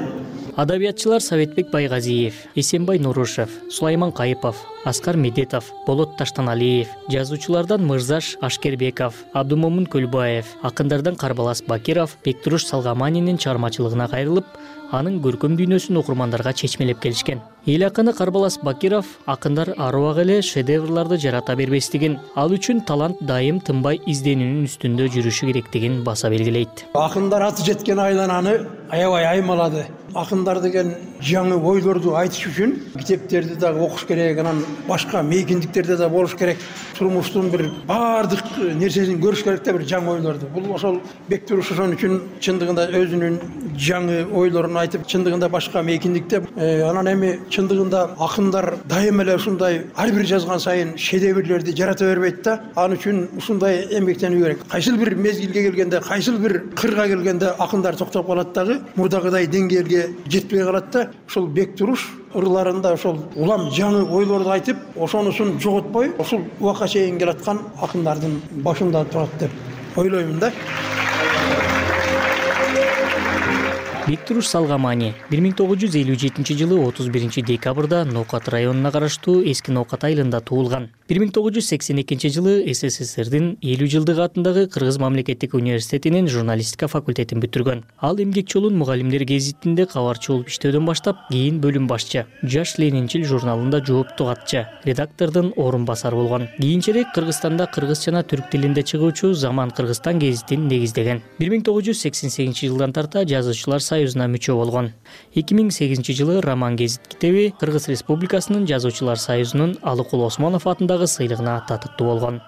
Адабиятчылар Советбек Байгазиев, Эсенбай Нурушев, Сулайман Кайыпов, Аскар Медетов, Болот Таштаналиев, жазуучулардан Мырзаш Ашкербеков, Абдумомун Көлбаев, акындардан Карбалас Бакиров Бектуруш Салгаманинин чыгармачылыгына кайрылып, анын көркөм дүйнөсүн окурмандарга чечмелеп келишкен. Эл акыны Карбалас Бакиров акындар ар убак эле шедеврларды жарата бербестигин, ал үчүн талант дайым тынбай изденүүнүн үстүндө жүрүшү керектигин баса белгилейт. Акындар аты жеткен айлананы аябай аймалады. Акындар деген жаңы ойлорду айтыш үчүн китептерди дагы окуш керек, анан башка мейкиндиктерде да болуш керек. Турмуштун бир баардык нерсесин көрүш керек да бир жаңы ойлорду. Бул ошол Бектуруш ошон үчүн чындыгында өзүнүн жаңы ойлорун айтып, чындыгында башка мейкиндикте анан эми чындыгында акындар дайым эле ушундай ар бир жазган сайын шедеврлерди жарата бербейт да. Ал үчүн ушундай эмгектенүү керек. Кайсыл бир мезгилге келгенде, кайсыл бир кырга келгенде акындар токтоп калат дагы, мурдагыдай деңгээлге жетпей калат да. Ошол Бектуруш ырларында ошол улам жаңы ойлорду айтып, ошонусун жоготпой, ушул убакка чейин келаткан акындардын башында турат деп ойлоймун да. Бектуруш Салгамани 1957-жылы 31-декабрда Ноокат районуна караштуу Эски Ноокат айылында туулган. 1982-жылы СССРдин 50-жылдык атындагы Кыргыз мамлекеттик университетинин журналистика факультетин бүтүргөн. Ал эмгек жолун Мугалимдер гезитинде кабарчы болуп иштөөдөн баштап, кийин бөлүм башчы, Жаш Ленинчил журналында жоопту катчы, редактордун орун басары болгон. Кийинчерээк Кыргызстанда кыргыз жана түрк тилинде чыгуучу Заман Кыргызстан гезитин негиздеген. 1988-жылдан тарта жазуучулар союзуна мүчө болгон. 2008-жылы Роман гезит китеби Кыргыз Республикасынын жазуучулар союзунун Алыкул Осмонов атындагы сыйлыгына татыктуу болгон.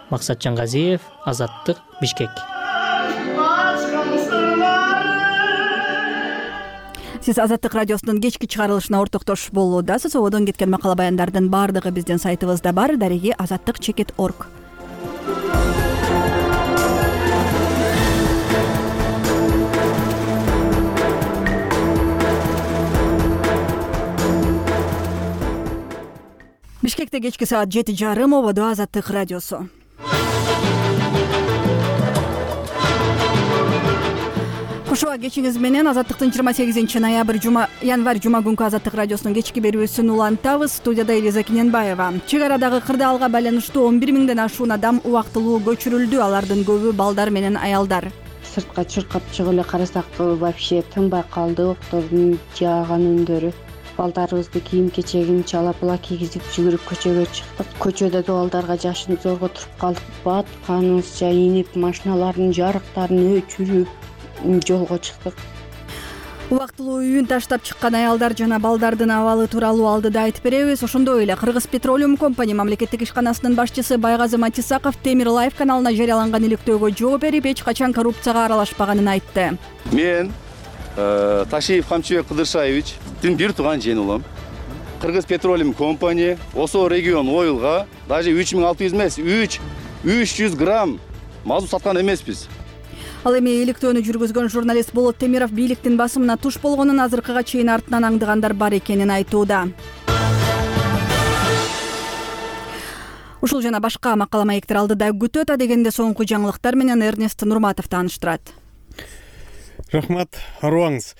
Максат Жангазиев, Азаттык, Бишкек. Сиз Азаттык радиосунун кечки чыгарылышына ортоктош болуудасыз. Ободон кеткен макала баяндардын баардыгы биздин сайтыбызда бар. Дареги azattik.org. Бишкекте кечки саат 7:30. Ободо Азаттык радиосу. Кушуа кечиңиз менен Азаттыктын 28 январь жума күнкү Азаттык радиосунун кечки берүүсүн улантабыз. Студияда Элиза Киненбаева. Чек арадагы кырдаалга байланыштуу 11 миңден ашуун адам убактылуу көчүрүлдү. Алардын көбү балдар менен аялдар. Сыртка чуркап чыгып эле карасак вообще тынбай калды октордун жааган үндөрү. Балдарыбызды кийим-кечегин чала-пула кийгизип жүгүрүп көчөгө чыктык. Көчөдө да балдарга жашын зорго туруп калдык. Батканыбызча инип, машиналардын жарыктарын өчүрүп жолго чыктык. Убактылуу үйүн таштап чыккан аялдар жана балдардын абалы тууралуу алдыда айтып беребиз. Ошондой эле Кыргыз Петролиум компания мамлекеттик ишканасынын башчысы Байгазы Матисаков Темир Лайф каналына жарыяланган иликтөөгө жооп берип, эч качан коррупцияга аралашпаганын айтты. Мен Ташиев Камчыбек Кыдыршаевичтин бир тууган жээни улам. Кыргыз Петролиум компания Осо регион оюлга даже 3600 эмес, 300 грамм мазут саткан эмеспиз. Ал эми иликтөөнү жүргүзгөн журналист Болот Темиров бийликтин басымына туш болгонун азыркыга чейин артынан аңдыгандар бар экенин айтууда. Ушул жана башка макала маектер алдыда күтөт. Адегенде соңку жаңылыктар менен Эрнест Нурматов тааныштырат. Рахмат, арыбаңыз.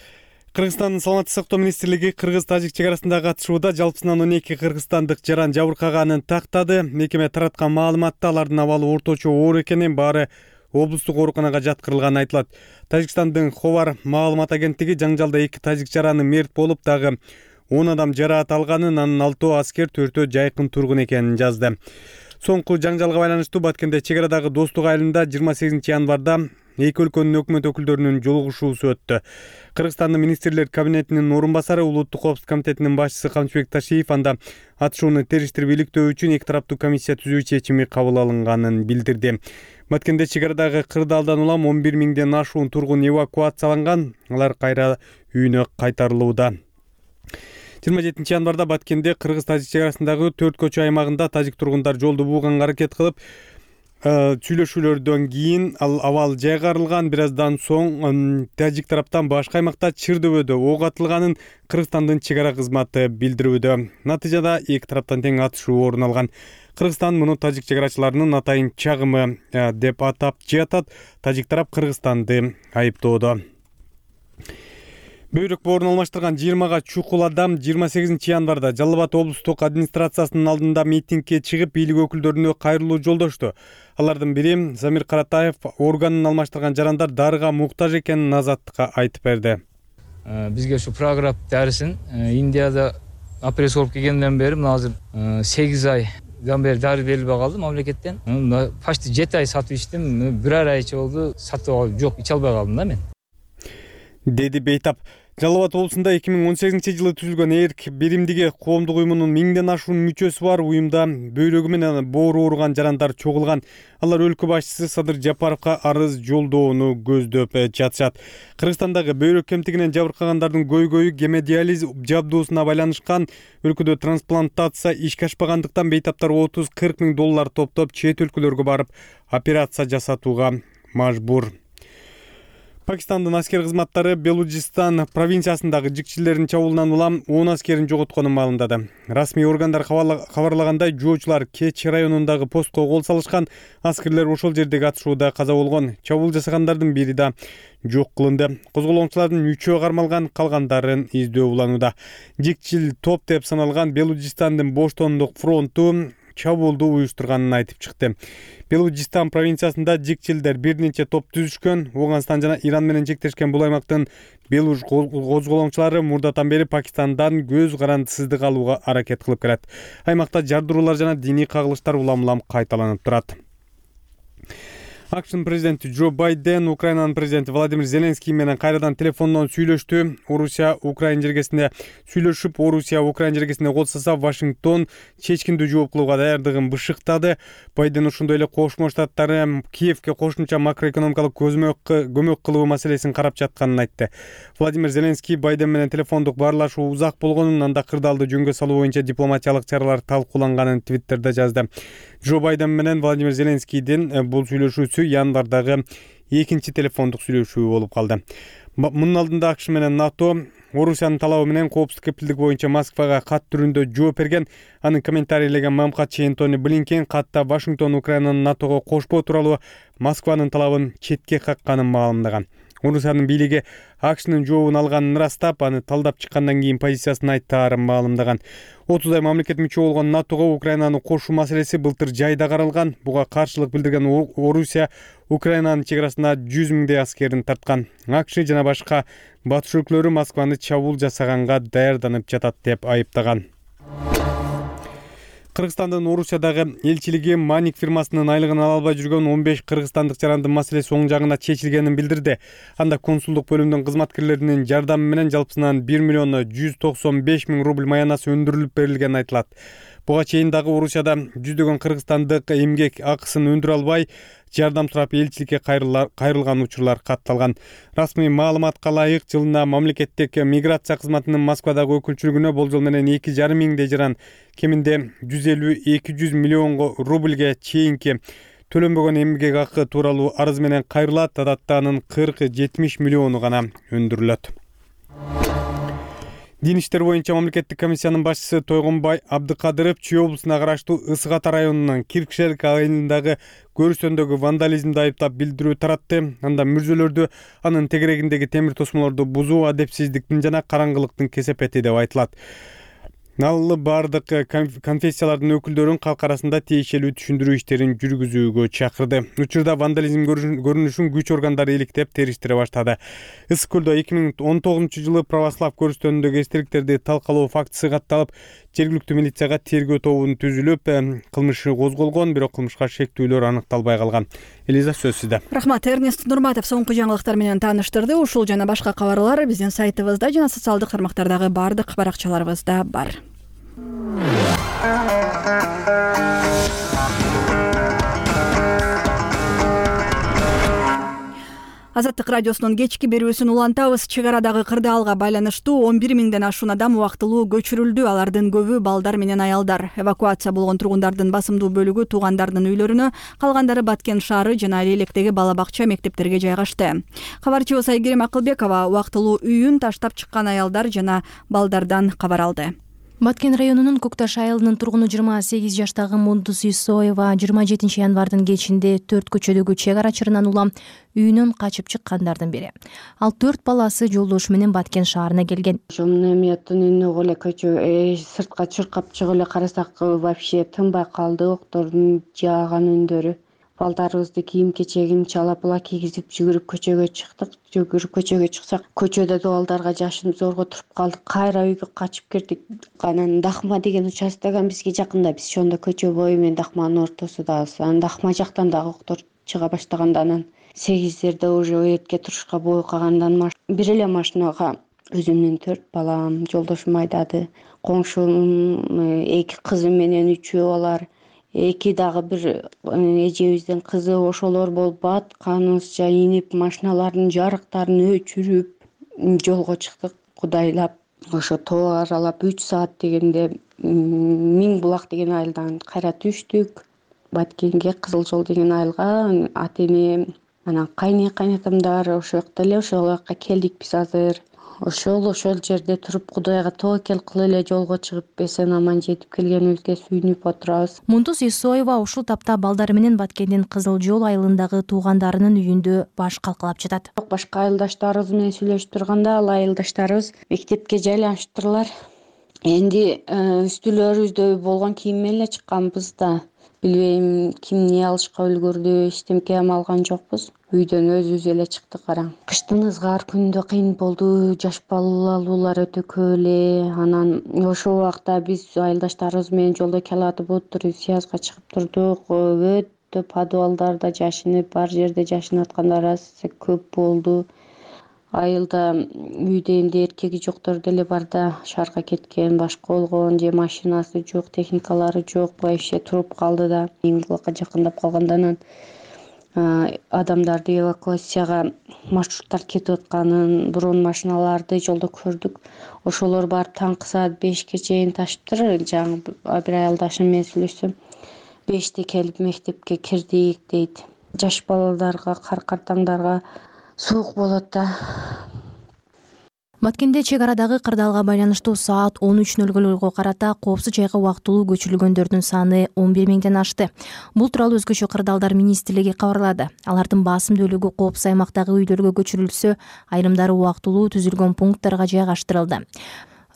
Кыргызстандын саламаттык сактоо министрлиги кыргыз-тажик чек арасындагы атышууда жалпысынан 12 кыргызстандык жаран жабыркаганын тактады. Мекеме тараткан маалыматта алардын абалы орточо оор экенин, баары облустук ооруканага жаткырылганы айтылат. Тажикстандын Ховар маалымат агенттиги жаңжалда 2 тажик жараны мерт болуп, дагы 10 адам жараат алганын, анын 6 аскер, 4 жайкын тургун экенин жазды. Соңку жаңжалга байланыштуу Баткенде чек арадагы Достук айылында 28 январда эки өлкөнүн өкмөт өкүлдөрүнүн жолугушуусу өттү. Кыргызстандын министрлер кабинетинин орун басары, Улуттук коопсуздук комитетинин башчысы Камчыбек Ташиев анда атышууну териштирип иликтөө үчүн эки тараптуу комиссия түзүү чечими кабыл алынганын билдирди. Баткенде чек арадагы кырдаалдан улам 11 миңден ашуун тургун эвакуацияланган, алар кайра үйүнө кайтарылууда. 27 январда Баткенде кыргыз-тажик чек арасындагы 4 көчө аймагында тажик тургундар жолду бууганга аракет кылып, сүйлөшүүлөрдөн кийин ал абал жайгарылган. Бир аздан соң тажик тараптан башка аймакта Чырдөбөдө ок атылганын Кыргызстандын чек ара кызматы билдирүүдө. Натыйжада эки тараптан тең атышуу орун алган. Кыргызстан муну тажик чек арачыларынын атайын чагымы деп атап жатат. Тажик тарап Кыргызстанды айыптоодо. Бөйрөк боорун алмаштырган 20 чукул адам 28 январда Жалал Абад облустук администрациясынын алдында митингге чыгып, бийлик өкүлдөрүнө кайрылуу жолдошту. Алардын бири Замир Каратаев органын алмаштырган жарандар дарыга муктаж экенин Азаттыкка айтып берди. Бизге ушу прогресс дарысын Индияда операция болуп келгенден бери мына азыр 8 айдан бери дары берилбей калды мамлекеттен. Почти 7 ай сатып ичтим, бирер айча болду сатып алып жок, иче албай калдым да мен. Деди Бейтап. Жалал Абад облусунда 2018-жылы түзүлгөн эрк биримдиги коомдук уюмунун 1000ден ашуун мүчөсү бар. Уюмда бөйрөгү менен боору ооруган жарандар чогулган. Алар өлкө башчысы Садыр Жапаровго арыз жолдоону көздөп жатышат. Кыргызстандагы бөйрөк кемтигинен жабыркагандардын көйгөйү гемодиализ жабдуусуна байланышкан. Өлкөдө трансплантация ишке ашпагандыктан бейтаптар 30-40 миң доллар топтоп чет өлкөлөргө барып операция жасатууга мажбур. Пакистандын аскер кызматтары Белуджистан провинциясындагы жикчилердин чабуулунан улам 10 аскерин жоготконун маалымдады. Расмий органдар кабарлагандай, жоочулар Кеч районундагы постко кол салышкан. Аскерлер ошол жердеги атышууда каза болгон. Чабуул жасагандардын бири да жок кылынды. Козголоңчулардын 3-өө кармалган, калгандарын издөө уланууда. Жикчил топ деп саналган Белуджистандын Боштондук фронту чабуулду уюштурганын айтып чыкты. Белуджистан провинциясында жикчилдер бир нече топ түзүшкөн. Оңгонстан жана Иран менен чектешкен бул аймактын белуж козголоңчулары мурдатан бери Пакистандан көз карандысыздык алууга аракет кылып келет. Аймакта жардыруулар жана диний кагылыштар улам-улам кайталанып турат. АКШнын президенти Джо Байден Украинанын президенти Владимир Зеленский менен кайрадан телефондон сүйлөштү. Орусия Украина жергесинде сүйлөшүп, Орусия Украина жергесинде колсоса Вашингтон чечкиндүү жооп кылууга даярдыгын бышыктады. Байден ошондой эле Кошмо Штаттары Киевке кошумча макроэкономикалык көмөк кылуу маселесин карап жатканын айтты. Владимир Зеленский Байден менен телефондук баарлашуу узак болгонун, анда кырдаалды жөнгө салуу боюнча дипломатиялык чаралар талкууланганын Твиттерде жазды. Джо Байден менен Владимир Зеленскийдин бул сүйлөшүүсү январдагы экинчи телефондук сүйлөшүү болуп калды. Мунун алдында АКШ менен НАТО Орусиянын талабы менен коопсуздук кепилдиги боюнча Москвага кат түрүндө жооп берген. Анын комментарийлеген мамкатчы Энтони Блинкен катта Вашингтон Украинаны НАТОго кошпоо тууралуу Москванын талабын четке какканын маалымдаган. Орусиянын бийлиги АКШнын жообун алганын ырастап, аны талдап чыккандан кийин позициясын айттаарын маалымдаган. 30 ай мамлекет мүчө болгон НАТОго Украинаны кошуу маселеси былтыр жайда каралган. Буга каршылык билдирген Орусия Украинанын чек арасына 100 миңдей аскерин тарткан. АКШ жана башка батыш өлкөлөрү Москваны чабуул жасаганга даярданып жатат деп айыптаган. Кыргызстандын Орусиядагы элчилиги Маник фирмасынын айлыгын ала албай жүргөн 15 кыргызстандык жарандын маселеси оң жагына чечилгенин билдирди. Анда консулдук бөлүмдүн кызматкерлеринин жардамы менен жалпысынан 1 миллион 195 миң рубль маянасы өндүрүлүп берилгени айтылат. Буга чейин дагы Орусияда жүздөгөн кыргызстандык эмгек акысын өндүрө албай жардам сурап элчиликке кайрылган учурлар катталган. Расмий маалыматка ылайык жылына мамлекеттик миграция кызматынын Москвадагы өкүлчүлүгүнө болжол менен 2,5 миңдей жаран кеминде 150-200 миллион рубльге чейинки төлөнбөгөн эмгек акы тууралуу арыз менен кайрылат. Адатта анын 40-70 миллиону гана өндүрүлөт. Дин иштер боюнча мамлекеттик комиссиянын башчысы Тойгонбай Абдыкадыров Чүй облусуна караштуу Ысык Ата районунун Киркшелик айылындагы көрүстөндөгү вандализмди айыптап билдирүү таратты. Анда мүрзөлөрдү, анын тегерегиндеги темир тосмолорду бузуу адепсиздиктин жана караңгылыктын кесепети деп айтылат. Ал бардык конфессиялардын өкүлдөрүн калк арасында тиешелүү түшүндүрүү иштерин жүргүзүүгө чакырды. Учурда вандализм көрүнүшүн күч органдары иликтеп териштире баштады. Ысык көлдө 2019 жылы православ көрүстөнүндөгү эстеликтерди талкалоо фактысы катталып, жергиликтүү милицияга тергөө тобу түзүлүп, кылмышы козголгон, бирок кылмышка шектүүлөр аныкталбай калган. Элиза, сөз сизде. Рахмат. Эрнест Нурматов соңку жаңылыктар менен тааныштырды. Ушул жана башка кабарлар биздин сайтыбызда жана социалдык тармактардагы бардык баракчаларыбызда бар. Азаттык радиосунун кечки берүүсүн улантабыз. Чек арадагы кырдаалга байланыштуу 11 миңден ашуун адам убактылуу көчүрүлдү. Алардын көбү балдар менен аялдар. Эвакуация болгон тургундардын басымдуу бөлүгү туугандарынын үйлөрүнө, калгандары Баткен шаары жана Лелектеги бала бакча мектептерге жайгашты. Кабарчыбыз Айгерим Акылбекова убактылуу үйүн таштап чыккан аялдар жана балдардан кабар алды. Баткен районунун Көкташ айылынын тургуну 28 жаштагы Мундус Исоева 27 январдын кечинде 4 көчөдөгү чек ара чырынан улам үйүнөн качып чыккандардын бири. Ал 4 баласы жолдошу менен Баткен шаарына келген. Көчө сыртка чыркап чыгып эле карасак вообще тынбай калды, октордун жааган үндөрү. Балдарыбызды кийим-кечегин чала-пула кийгизип жүгүрүп көчөгө чыктык. Көчөгө чыксак, көчөдө балдарга жашынып зорго туруп калдык. Кайра үйгө качып кирдик. Анан Дахма деген участоган бизге жакында. Биз ошондо көчө бою менен Дахманын ортосудабыз. Анан Дахма жактан дагы октор чыга баштаганда анан 8-дерде уже өрөткө турушка бою калгандан бир эле машинага өзүмдүн 4 балам, жолдошум айдады. Коңшунун 2 кызы менен 3 алар. 2 дагы бир эжебиздин кызы, ошолор болуп батканыбызча инип, машиналардын жарыктарын өчүрүп жолго чыктык. Кудайлап, ошо тоо аралап 3 саат дегенде Миң булак деген айылдан кайра түштүк. Баткенге Кызыл жол деген айылга ата-энем, анан кайнатамдар ошол жакта эле, ошол жакка келдик биз азыр. Ошол жерде туруп Кудайга тобокел кылып эле жолго чыгып эсен аман жетип келгенибизге сүйүнүп отурабыз. Мундус Исоева ушул тапта балдары менен Баткендин Кызыл жол айылындагы туугандарынын үйүндө баш калкалап жатат. Башка айылдаштарыбыз менен сүйлөшүп турганда, ал айылдаштарыбыз мектепке жайланыштырлар. Энди үстүлөрүбүздө болгон кийим менен эле чыкканбыз да. Билбейм ким эмне алышка үлгүрдү, эчтемке алган жокпуз. Үйдөн өзүбүз эле чыктык кара. Кыштын ызгар күнүндө кыйын болду, жаш балалуулар өтө көп эле. Анан ошол убакта биз айылдаштарыбыз менен жолдо келатып отуруп, сыязга чыгып турдук. подвалдарда жашынып, бар жерде жашынып аткандар көп болду. Айылда үйдө эмне эркеги жоктор деле бар да, шаарга кеткен, башка болгон, же машинасы жок, техникалары жок, вообще туруп калды да. Эңгилакка жакындап калгандан адамдарды эвакуацияга маршруттар кетип атканын, бронь машиналарды жолдо көрдүк. Ошолор барып таңкы саат 5ке чейин ташыптыр. Жаңы бир айылдашым менен сүйлөшсөм, 5те келип мектепке кирдик дейт. Жаш балаларга, картаңдарга суук болот да. Баткенде чек арадагы кырдаалга байланыштуу саат 13:00 карата коопсуз жайга убактылуу көчүрүлгөндөрдүн саны 11 миңден ашты. Бул тууралуу Өзгөчө кырдаалдар министрлиги кабарлады. Алардын басым бөлүгү коопсуз аймактагы үйлөргө көчүрүлсө, айрымдары убактылуу түзүлгөн пункттарга жайгаштырылды.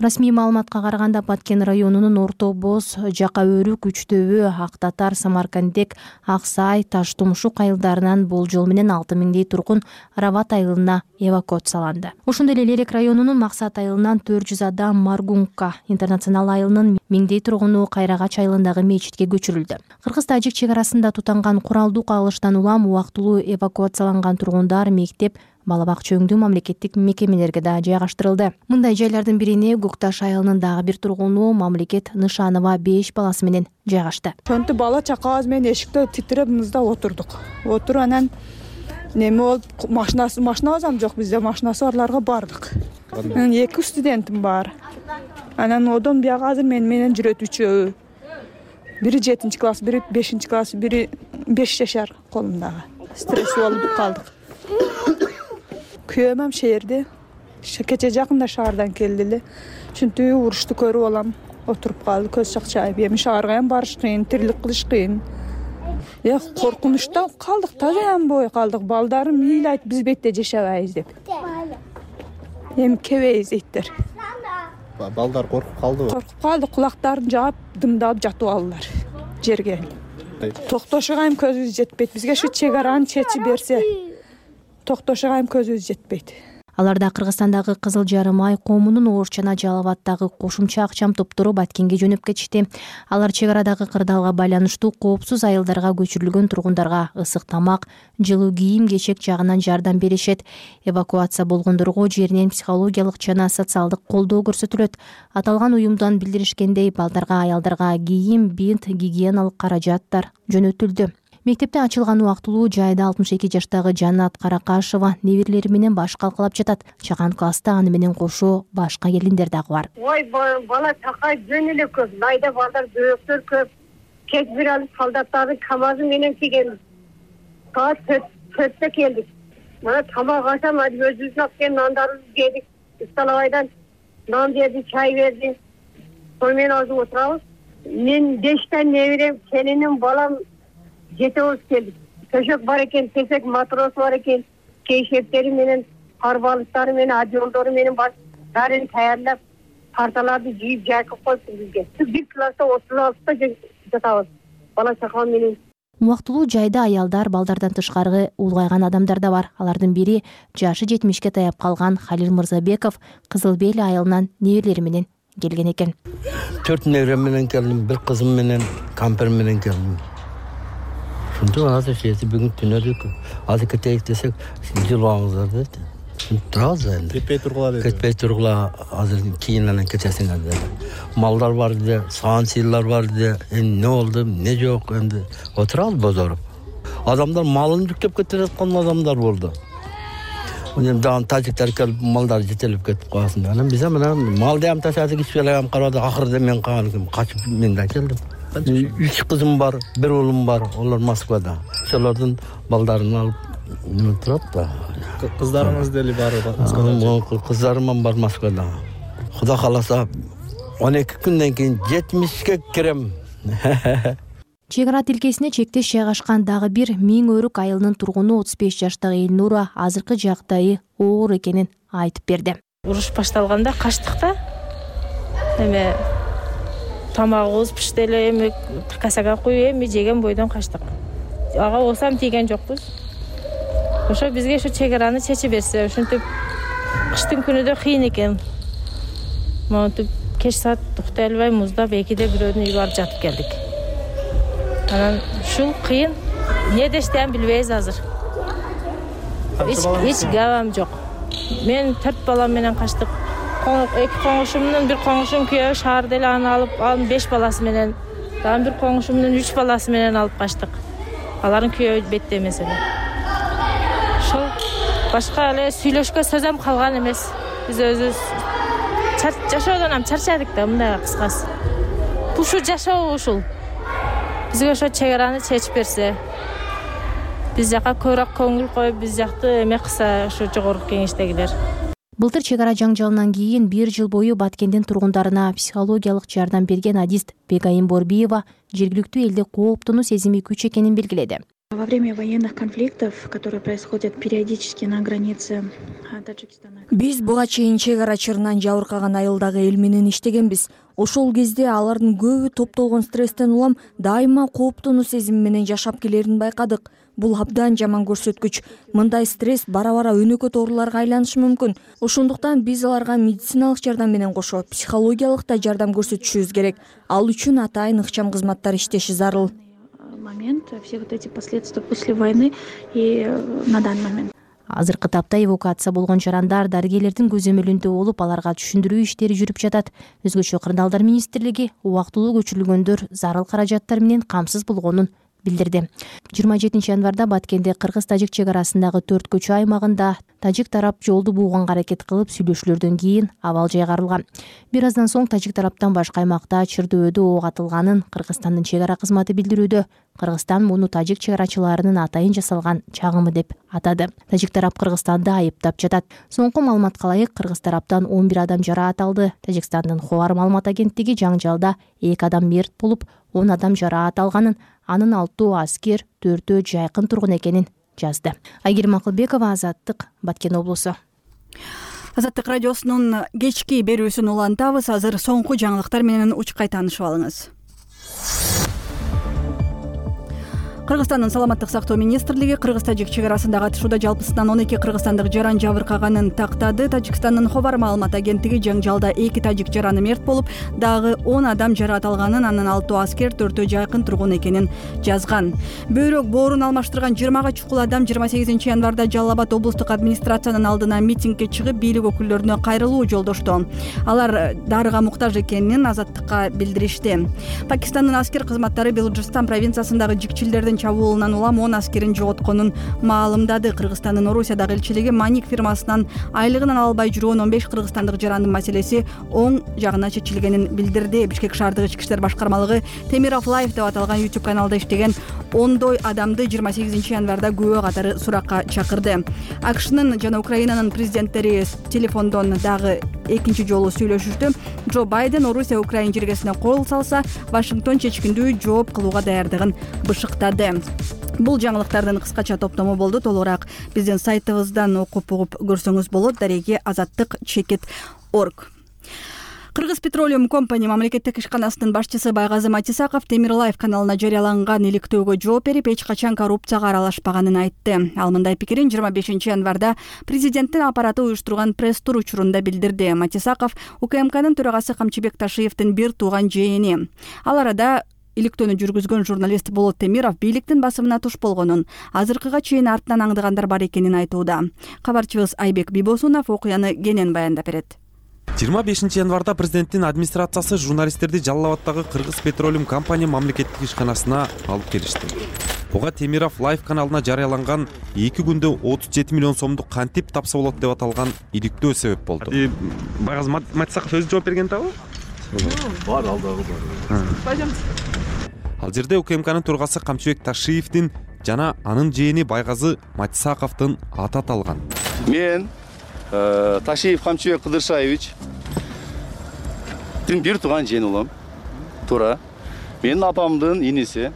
Расмий маалыматка караганда Баткен районунун Орто Боз, Жака Өрүк, Үчтөбө, Ак Татар, Самаркандек, Аксай, Таш Тумшук айылдарынан болжол менен 6 миңдей тургун Рават айылына эвакуацияланды. Ошондой эле Лерек районунун Максат айылынан 400 адам Маргунка интернационал айылынын 1000дей тургуну Кайрагач айылындагы мечитке көчүрүлдү. Кыргыз-тажик чек арасында тутанган куралдуу кагылыштан улам убактылуу эвакуацияланган тургундар мектеп, бала бакча өңдүү мамлекеттик мекемелерге да жайгаштырылды. Мындай жайлардын бирине Көкташ айылынын дагы бир тургуну Мамлекет Нышанова 5 баласы менен жайгашты. Ошентип бала чакабыз менен эшикте титиреп мызда отурдук. Отуруп анан неме болуп, машинабыз ам жок, бизде машинасы барларга бардык. Мен 2 студентим бар. Анан одон бияга азыр менен жүрөт 3-өө. Бири 7-класс, бири 5-класс, бири 5 жашар колумдагы. Стресс болуп калдык. Күйөөм шээрде, кече жакында шаардан келди эле. Ушинтип урушту көрүп алам, отуруп калды, көз чакчайып. Эми шаарга ham барыш кыйын, тирилик кылыш кыйын. Коркунучта калдык, тазаям бой калдык. Балдарым ыйлайт, биз бетте жашабайбыз деп. Эми кебейбиз дейттер. Балдар коркуп калдыбы? Коркуп калды, кулактарын жаап, дымдап жатып алдылар жерге. Токтошуга ham көзүбүз жетпейт. Бизге шу чек араны чечип берсе, токтошуга ham көзүбүз жетпейт. Аларда Кыргызстандагы Кызыл Жарым Ай коомунун Оорчана Жалалабаддагы кошумча акчам топтору Баткенге жөнөп кетишти. Алар чек арадагы кырдаалга байланыштуу коопсуз айылдарга көчүрүлгөн тургундарга ысык тамак, жылуу кийим кечек жагынан жардам беришет. Эвакуация болгондорго жеринен психологиялык жана социалдык колдоо көрсөтүлөт. Аталган уюмдан билдиришкендей, балдарга, аялдарга кийим, бинт, гигиеналык каражаттар жөнөтүлдү. Мектепте ачылган убактылуу жайда 62 жаштагы Жанат Каракашева неберелери менен баш калкалап жатат. Чаган класста аны менен кошо башка келиндер дагы бар. Ой, бала чакай жөн эле көп. Найда балдар бөөктөр көп. Кеч бир алып солдаттардын камазы менен келген. Саат 4-тө келдик. Мана тамак ашам, өзүбүздүн алып нандарыбызды жедик. Столовайдан нан берди, чай берди. Сону менен азыр отурабыз. Мен 5 неберем, келиним, балам жетебиз келдик. Төшөк бар экен, тесек матрос бар экен, кейшептери менен, карбалыктары менен, адьолдору менен баарын даярдап, парталарды жийип жайкып коюптур бизге. Бир класста 36 жатабыз. Бала чака менен. Убактылуу жайда аялдар, балдардан тышкары улгайган адамдар да бар. Алардын бири жашы 70ке таяп калган Халил Мырзабеков Кызыл Бел айылынан неберелери менен келген экен. 4 неберем менен келдим, бир кызым менен, кампер менен келдим. Шунда азыр жети бүгүн түнөдүк. Азыр кетейик десек, жылбаңыздар дейт. Турабыз энди. Кетпей тургула дейт. Кетпей тургула, азыр кийинен кетесиңер деди. Малдар бар деди, саан сыйлар бар деди. Эмне болду, эмне жок, энди отурабыз бозоруп. Адамдар малын жүктөп кетип аткан адамдар болду. Эми дагы тажиктер келип малдар жетелеп кетип калсын. Анан биз менен малды ham ташадык, ичпеле ham карады. Акырда мен калган, качып мен да келдим. 3 кызым бар, 1 уулум бар. Олар Москвада. Ошолордун балдарын алып неме турат да. Кыздарыңыз деле бар Москвада. Кыздарым бар Москвада. Кудай кааласа 12 күндөн кийин 70ке кирем. Чек ара тилкесине чектеш жайгашкан дагы бир Миң Өрүк айылынын тургуну 35 жаштагы Элнура азыркы жагдайы оор экенин айтып берди. Уруш башталганда качтык да. Эме тамагыбыз пишти эле, эми касага коюп эми жеген бойдон качтык. Ага осам тийген жокпуз. Ошо бизге ушу чек араны чечип берсе, ушинтип кыштын күнүдө кыйын экен. Монтип кеч саат туктай албай муздап 2-де бирөөнүн үйүнө барып жатып келдик. Анан ушул кыйын. эмне дештен билбейбиз азыр. Эч габам жок. Мен 4 балам менен качтык. Эки коңушумдун бир коңушум күйөө шаарда эле аны алып, анын 5 баласы менен, дагы бир коңушумдун 3 баласы менен алып качтык. Алардын күйөө бетте эмес эле. Ошол башка эле сүйлөшкө сөзөм калган эмес. Биз өзүбүз жашоодон ham чарчадык да, мындай кыскасы. Ушу жашоо ушул. Бизге ошо чек араны чечип берсе, биз жака көбүрөөк көңүл коюп, биз жакты эме кылса, ошо жогорку кеңештегилер. Былтыр чек ара жаңжалынан кийин 1 жыл бою Баткендин тургундарына психологиялык жардам берген адист Бегайым Борбиева жергиликтүү элде кооптонуу сезими күч экенин белгиледи. Во время военных конфликтов, которые происходят периодически на границе Таджикистана. Биз буга чейин чек ара чырынан жабыркаган айылдагы эл менен иштегенбиз. Ошол кезде алардын көбү топтолгон стресстен улам дайыма кооптонуу сезими менен жашап келерин байкадык. Бул абдан жаман көрсөткүч. Мындай стресс бара-бара өнөкөт ооруларга айланышы мүмкүн. Ошондуктан биз аларга медициналык жардам менен кошо психологиялык да жардам көрсөтүшүбүз керек. Ал үчүн атайын ыкчам кызматтар иштеши зарыл. Момент, все вот эти последствия после войны и на данный момент. Азыркы тапта эвакуация болгон жарандар дарыгерлердин көзөмөлүндө болуп, аларга түшүндүрүү иштери жүрүп жатат. Өзгөчө Кырдаалдар министрлиги убактылуу көчүрүлгөндөр зарыл каражаттар менен камсыз болгонун билдирди. 27 январда Баткенде кыргыз-тажик чек арасындагы 4 көчө аймагында тажик тарап жолду бууганга аракет кылып, сүйлөшүүлөрдөн кийин абал жайгарылган. Бир аздан соң тажик тараптан башка аймакта чырдөөдө ок атылганын Кыргызстандын чек ара кызматы билдирүүдө. Кыргызстан муну тажик чек арачыларынын атайын жасалган чагымы деп атады. Тажик тарап Кыргызстанды айыптап жатат. Соңку маалыматка ылайык, кыргыз тараптан 11 адам жараат алды. Тажикстандын Ховар маалымат агенттиги жаңжалда 2 адам мерт болуп, 10 адам жараат алганын, анын 6 аскер, 4 жайкын тургун экенин жазды. Айгерим Акылбекова, Азаттык, Баткен облусу. Азаттык радиосунун кечки берүүсүн улантабыз. Азыр соңку жаңылыктар менен учкай таанышып алыңыз. Кыргызстандын саламаттык сактоо министрлиги кыргыз-тажик чек арасындагы атышууда жалпысынан 12 кыргызстандык жаран жабыркаганын тактады. Тажикстандын Ховар маалымат агенттиги жаңжалда 2 тажик жараны мерт болуп, дагы 10 адам жараат алганын, анын 6 аскер, 4 жайкын тургун экенин жазган. Бөйрөк боорун алмаштырган 20 чукул адам 28 январда Жалал Абад облустук администрациянын алдына митингге чыгып, бийлик өкүлдөрүнө кайрылуу жолдошту. Алар дарыга муктаж экенин Азаттыкка билдиришти. Пакистандын аскер кызматтары Белуджистан провинциясындагы жикчилдердин чабуулунан улам 10 аскерин жоготконун маалымдады. Кыргызстандын Орусиядагы элчилиги Маник фирмасынан айлыгын ала албай жүргөн 15 кыргызстандык жарандын маселеси оң жагына чечилгенин билдирди. Бишкек шаардык ички иштер башкармалыгы Темиров Лайв деп аталган YouTube каналда иштеген ондой адамды 28 январда күбө катары суракка чакырды. АКШнын жана Украинанын президенттери телефондон дагы экинчи жолу сүйлөшүштү. Джо Байден Орусия Украина жергесине кол салса, Вашингтон чечкиндүү жооп кылууга даярдыгын бышыктады. Бул жаңылыктардын кыскача топтому болду. Толугураак биздин сайтыбыздан окуп угуп көрсөңүз болот. Дареги azattik.org. Кыргыз Petroleum Company мамлекеттик ишканасынын башчысы Байгазы Матисаков Темир Лайв каналына жарыяланган иликтөөгө жооп берип, эч качан коррупцияга аралашпаганын айтты. Ал мындай пикирин 25 январда президенттин аппараты уюштурган пресс-тур учурунда билдирди. Матисаков УКМКнын төрагасы Камчыбек Ташиевдин бир тууган жээни. Ал арада иликтөөнү жүргүзгөн журналист Болот Темиров бийликтин басымына туш болгонун, азыркыга чейин артынан аңдыгандар бар экенин айтууда. Кабарчыбыз Айбек Бибосунов окуяны кенен баяндап берет. 25 январда президенттин администрациясы журналисттерди Жалал Абаддагы Кыргыз Petroleum Company мамлекеттик ишканасына алып келишти. Буга Темиров Лайв каналына жарыяланган 2 күндө 37 миллион сомдук кантип тапса болот деп аталган иликтөө себеп болду. Байгаз Матисаков өзү жооп берген табы? Бар, алдагы бар. Ал жерде УКМКнын төрагасы Камчыбек Ташиевдин жана анын жээни Байгазы Матисаковдун аты аталган. Мен Ташиев Камчыбек Кыдыршаевич бир тууган жээни улам. Туура. Менин апамдын иниси.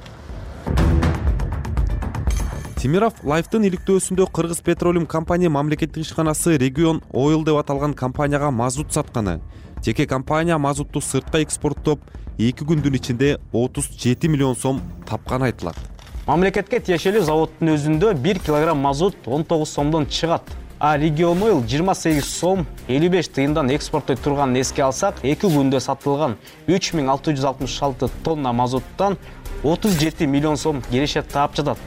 Темиров Лайвдын иликтөөсүндө Кыргыз Petroleum Company мамлекеттик ишканасы Region Oil деп аталган компанияга мазут сатканы, жеке компания мазутту сыртка экспорттоп 2 күндүн ичинде 37 миллион сом тапканы айтылат. Мамлекетке тиешелүү заводдун өзүндө 1 килограмм мазут 19 сомдон чыгат. А Region Oil 28 сом 55 тыйындан экспорттой турганын эске алсак, 2 күндө сатылган 3666 тонна мазуттан 37 миллион сом керешет таап жатат.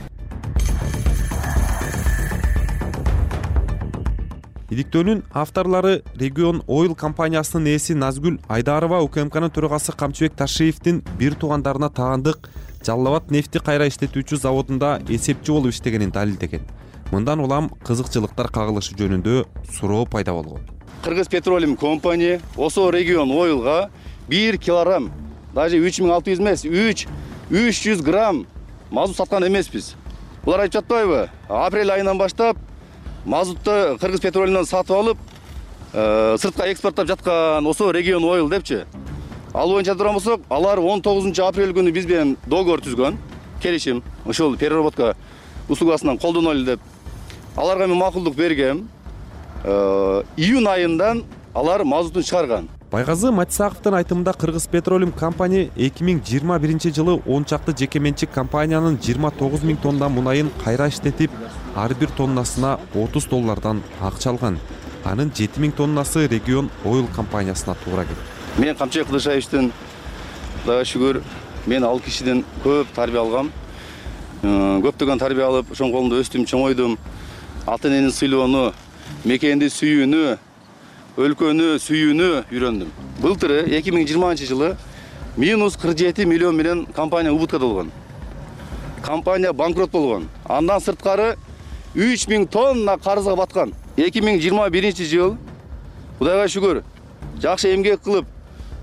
Иликтөөнүн авторлору Регион Oil компаниясынын ээси Назгүл Айдарова УКМКнын төрагасы Камчыбек Ташиевдин бир туугандарына таандык Жалал Абад нефти кайра иштетүүчү заводунда эсепчи болуп иштегенин далилдеген. Мындан улам кызыкчылыктар кагылышы жөнүндө суроо пайда болгон. Кыргыз Петролиум компания Осо Регион Oil'га 1 килограмм, даже 3600 эмес, 300 грамм мазут саткан эмеспиз. Булар айтып жатпайбы? Апрель айынан баштап мазутты Кыргыз Петролиумдан сатып алып, сыртка экспорттоп жаткан Осо Регион Oil депчи. Ал боюнча турган болсок, алар 19 апрель күнү биз менен договор түзгөн, келишим, ошол переработка услугасынан колдоно эле деп. Аларга мен макулдук бергем. Июнь айынан алар мазутун чыгарган. Байгазы Матисаковдун айтымында Кыргыз Петролиум компания 2021 жылы 10 чакты жеке менчик компаниянын 29 000 тонна мунайын кайра иштетип, ар бир тоннасына $30 акча алган. Анын 7 000 тоннасы Регион Oil компаниясына туура келди. Мен Камчыбек Кыдыршаевичтен Кудайга шүгүр, мен ал кишиден көп тарбия алгам. Көптөгөн тарбия алып, ошонун колунда өстүм, чоңойдум. Ата энени сыйлоону, мекенди сүйүүнү, өлкөнү сүйүүнү үйрөндүм. Былтыры 2020 жылы минус 47 миллион менен компания убыткада болгон. Компания банкрот болгон. Андан сырткары 3000 тонна карызга баткан. 2021 жыл Кудайга шүгүр, жакшы эмгек кылып,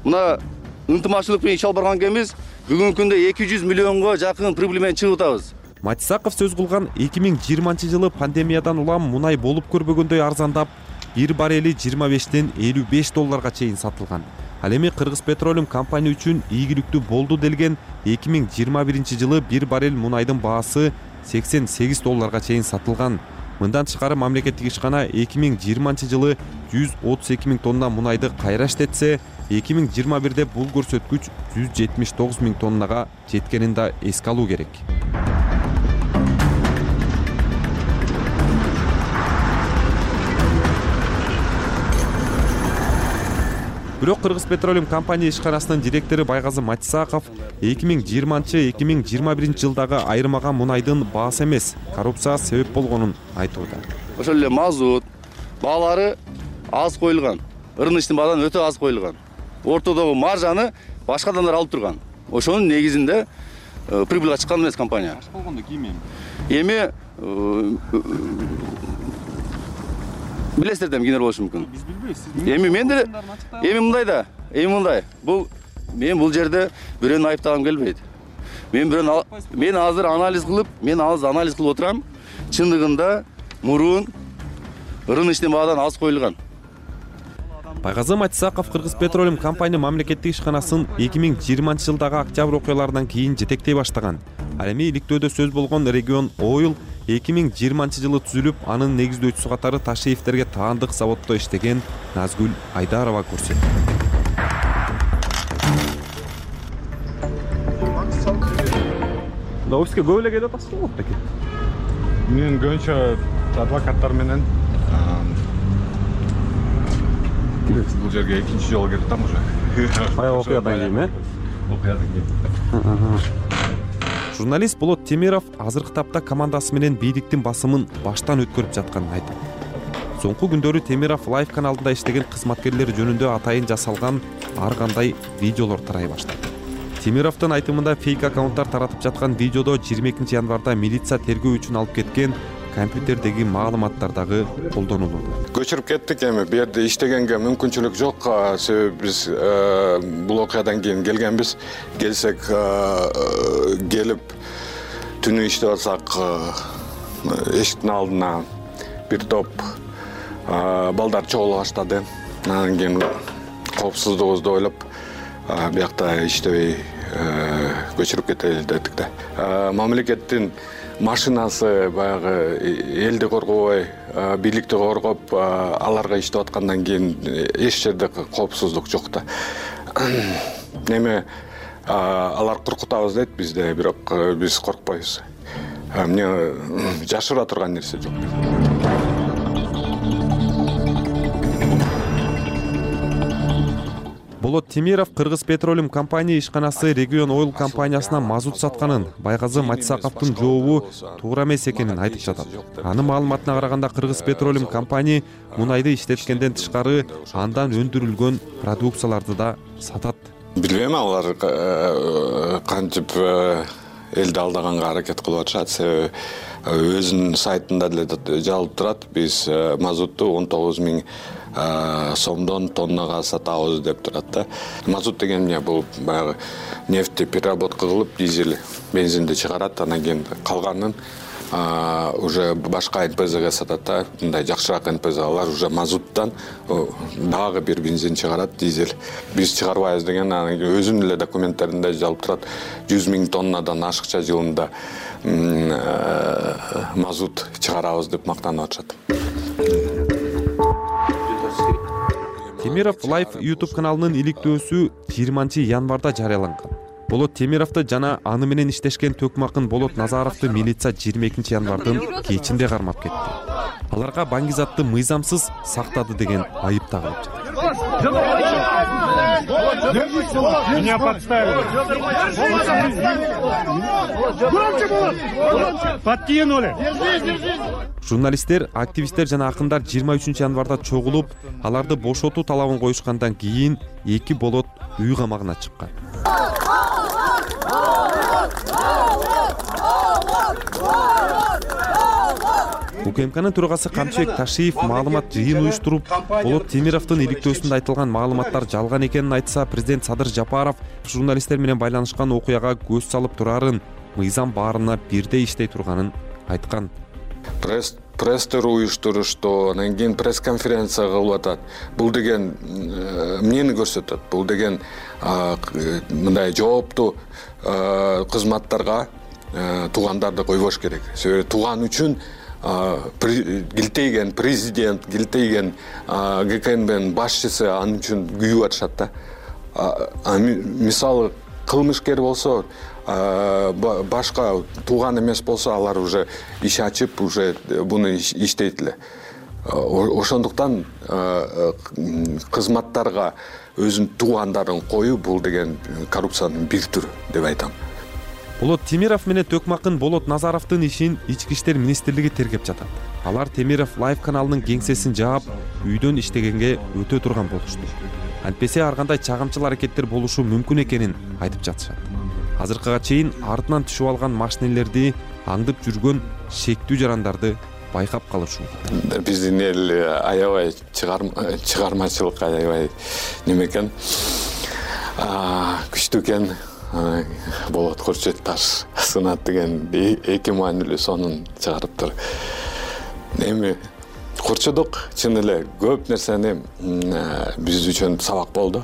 мына ынтымакчылык менен иш алып барган экенбиз. Бүгүнкү күндө 200 миллионго жакын прибыль менен чыгып атабыз. Матисаков сөз кылган 2020 жылы пандемиядан улам мунай болуп көрбөгөндөй арзандап, 1 баррели $25 $55 чейин сатылган. Ал эми Кыргыз Петролиум компания үчүн ийгиликтүү болду делген 2021 жылы 1 баррель мунайдын баасы $88 чейин сатылган. Мындан тышкары мамлекеттик ишкана 2020 жылы 132 000 тонна мунайды кайра иштетсе, 2021-де бул көрсөткүч 179 000 тоннага жеткенин да эске алуу керек. Бирок Кыргыз Петролиум компания ишканасынын директору Байгазы Матисаков 2020-2021 жылдагы айырмага мунайдын баасы эмес, коррупция себеп болгонун айтууда. Ошол эле мазут баалары аз коюлган. Рыночный баадан өтө аз коюлган. Ортодогу маржаны башка адамдар алып турган. Ошонун негизинде прибылга чыккан эмес компания. Болгондо кийим эми билесиздер да кимдер болушу мүмкүн. Биз билбейбиз. Эми мен деле мындай. Мен бул жерде бирөөнү айыптагым келбейт. Мен азыр анализ кылып отурам. Чындыгында мурун рыночный баадан аз коюлган. Байгазы Матисаков Кыргыз Петролиум компания мамлекеттик ишканасын 2020 жылдагы октябрь окуяларынан кийин жетектей баштаган. Ал эми иликтөөдө сөз болгон Регион Oil 2020 жылы түзүлүп, анын негиздөөчүсү катары Ташиевдерге таандык заводдо иштеген Назгүл Айдарова көрсөттү. Да офиске көп эле келип атасыз го беке? Мен көбүнчө адвокаттар менен бул жерге экинчи жолу келип атам уже. Баягы окуядан кийин, Окуядан кийин. Журналист Болот Темиров азыркы тапта командасы менен бийликтин басымын баштан өткөрүп жатканын айтат. Соңку күндөрү Темиров Live каналында иштеген кызматкерлер жөнүндө атайын жасалган ар кандай видеолор тарай баштады. Темировдун айтымында фейк аккаунттар таратып жаткан видеодо 22 январда милиция тергөө үчүн алып кеткен компьютердеги маалыматтар дагы колдонулууда. Көчүрүп кеттик эми, бу жерде иштегенге мүмкүнчүлүк жок. Себеби биз бул окуядан кийин келгенбиз. Келсек келип түнү иштеп атсак, эшиктин алдына бир топ балдар чогула баштады. Анан кийин коопсуздугубузду ойлоп, биякта иштебей көчүрүп кетели дедик да. Мамлекеттин машинасы баягы элди коргобой, бийликти коргоп, аларга иштеп аткандан кийин эч жерде коопсуздук жок да. Эми алар коркутабыз дейт бизде, бирок биз коркпойбуз. Эмне жашыра турган нерсе жок. Болот Темиров Кыргыз Петролиум компания ишканасы Регион Ойл компаниясына мазут сатканын, Байгазы Матисаковдун жообу туура эмес экенин айтып жатат. Анын маалыматына караганда Кыргыз Петролиум компания мунайды иштеткенден тышкары андан өндүрүлгөн продукцияларды да сатат. Билбейм, алар кантип элди алдаганга аракет кылып атышат. Себеби өзүнүн сайтында деле жазылып турат. Биз мазутту 19 000 сомдон тоннага сатабыз деп турат да. Мазут деген эмне? Бул баягы нефтти переработка кылып, дизель, бензинди чыгарат, анан кийин калганын уже башка НПЗге сатат да. Мындай жакшыраак НПЗлар уже мазуттан дагы бир бензин чыгарат, дизель. Биз чыгарбайбыз деген өзүнүн эле документтеринде жазылып турат. 100 000 тоннадан ашыкча жылында мазут чыгарабыз деп мактанып атышат. Темиров Live YouTube каналынын иликтөөсү 20 январда жарыяланган. Болот Темировду жана аны менен иштешкен Төкмакын Болот Назаровду милиция 22 январдын кечинде кармап кетти. Аларга баңгизатты мыйзамсыз сактады деген айып тагылып жатат. Меня подставили. Подкинули. Журналисттер, активисттер жана акындар 23 январда чогулуп, аларды бошотуу талабын коюшкандан кийин 2 болот үй камагына чыккан. УКМКнын төрагасы Камчыбек Ташиев маалымат жыйын уюштуруп, Болот Темировдун иликтөөсүндө айтылган маалыматтар жалган экенин айтса, президент Садыр Жапаров журналисттер менен байланышкан окуяга көз салып турарын, мыйзам баарына бирдей иштей турганын айткан. Пресстер уюштурушту, анан кийин пресс-конференция кылып атат. Бул деген эмнени көрсөтөт? Бул деген мындай жооптуу кызматтарга туугандарды койбош керек. Себеби тууган үчүн килтейген президент, килтейген ГКНБнын башчысы анын үчүн күйүп атышат да. Мисалы кылмышкер болсо, башка тууган эмес болсо, алар уже иш ачып, уже буну иштейт эле. Ошондуктан кызматтарга өзүнүн туугандарын коюу бул деген коррупциянын бир түрү деп айтам. Болот Темиров менен Төкмакын Болот Назаровдун ишин Ички иштер министрлиги тергеп жатат. Алар Темиров Live каналынын кеңсесин жаап, үйдөн иштегенге өтө турган болушту. Антпесе ар кандай чагымчыл аракеттер болушу мүмкүн экенин айтып жатышат. Азыркыга чейин артынан түшүп алган машинелерди аңдып жүргөн шектүү жарандарды байкап калышуу. Биздин эл аябай чыгармачылык аябай неме экен. Күчтүү экен. Болот Курчет таш сынат деген эки маанилүү сонун чыгарыптыр. Эми курчудук чын эле көп нерсени биз үчүн сабак болду.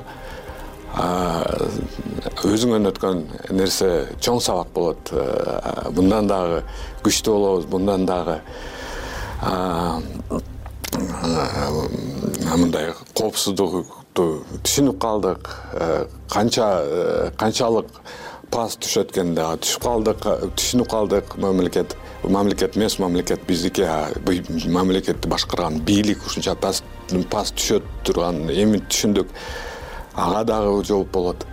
Өзүңөн өткөн нерсе чоң сабак болот. Bundan дагы күчтүү болобуз, bundan дагы мындай коопсуздукту түшүнүп калдык. Канчалык пас түшөт экенин дагы түшүп калдык, түшүнүп калдык. Мамлекет эмес, мамлекет биздики, мамлекетти башкарган бийлик ушунча пас түшөт турган эми түшүндүк. Ага дагы жооп болот.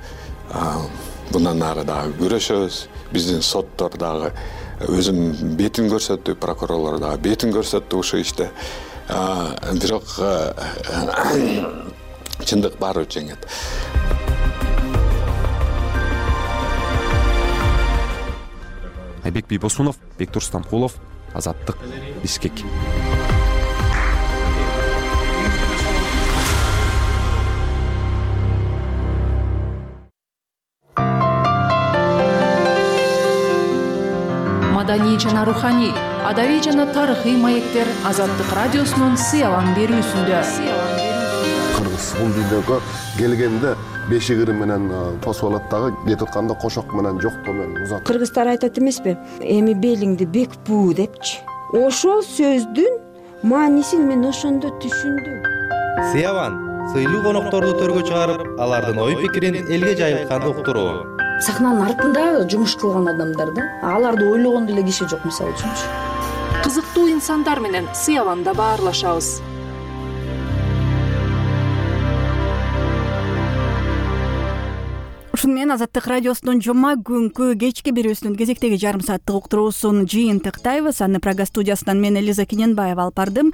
Bundan ары дагы күрөшөбүз. Биздин соттор дагы өзүнүн бетин көрсөттү, прокурорлор дагы бетин көрсөттү ушул иште. Бирок чындык баары жеңет. Айбек Бийбосунов, Бектур Стамкулов, Азаттык, Бишкек. Маданий жана руханий, адабий жана тарыхый маектер Азаттык радиосунун сыялан берүүсүндө. Кыргыз бул дүйнөгө келгенде бешигири менен посолаттагы кетип атканда кошок менен жоктоо менен узат. Кыргыздар айтат эмеспи? Эми белиңди бек буу депчи. Ошол сөздүн маанисин мен ошондо түшүндүм. Сыяван сыйлуу конокторду төргө чыгарып, алардын ой пикирин элге жайылтканды уктуруу. Сахнанын артында жумуш кылган адамдар да, аларды ойлогон деле киши жок, мисалы үчүнчү. Кызыктуу инсандар менен Сыяванда баарлашабыз. Ушуну менен Азаттык радиосунун жума күнкү кечки берүүсүнүн кезектеги жарым сааттык уктуруусун жыйынтыктайбыз. Аны Прага студиясынан мен Элиза Кененбаева алып бардым.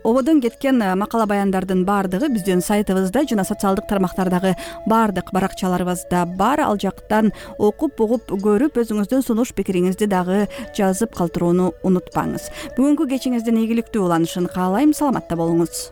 Ободон кеткен макала баяндардын баардыгы биздин сайтыбызда жана социалдык тармактардагы баардык баракчаларыбызда бар. Ал жактан окуп, угуп, көрүп, өзүңүздүн сунуш пикириңизди дагы жазып калтырууну унутпаңыз. Бүгүнкү кечиңиздин ийгиликтүү уланышын каалайм. Саламатта болуңуз.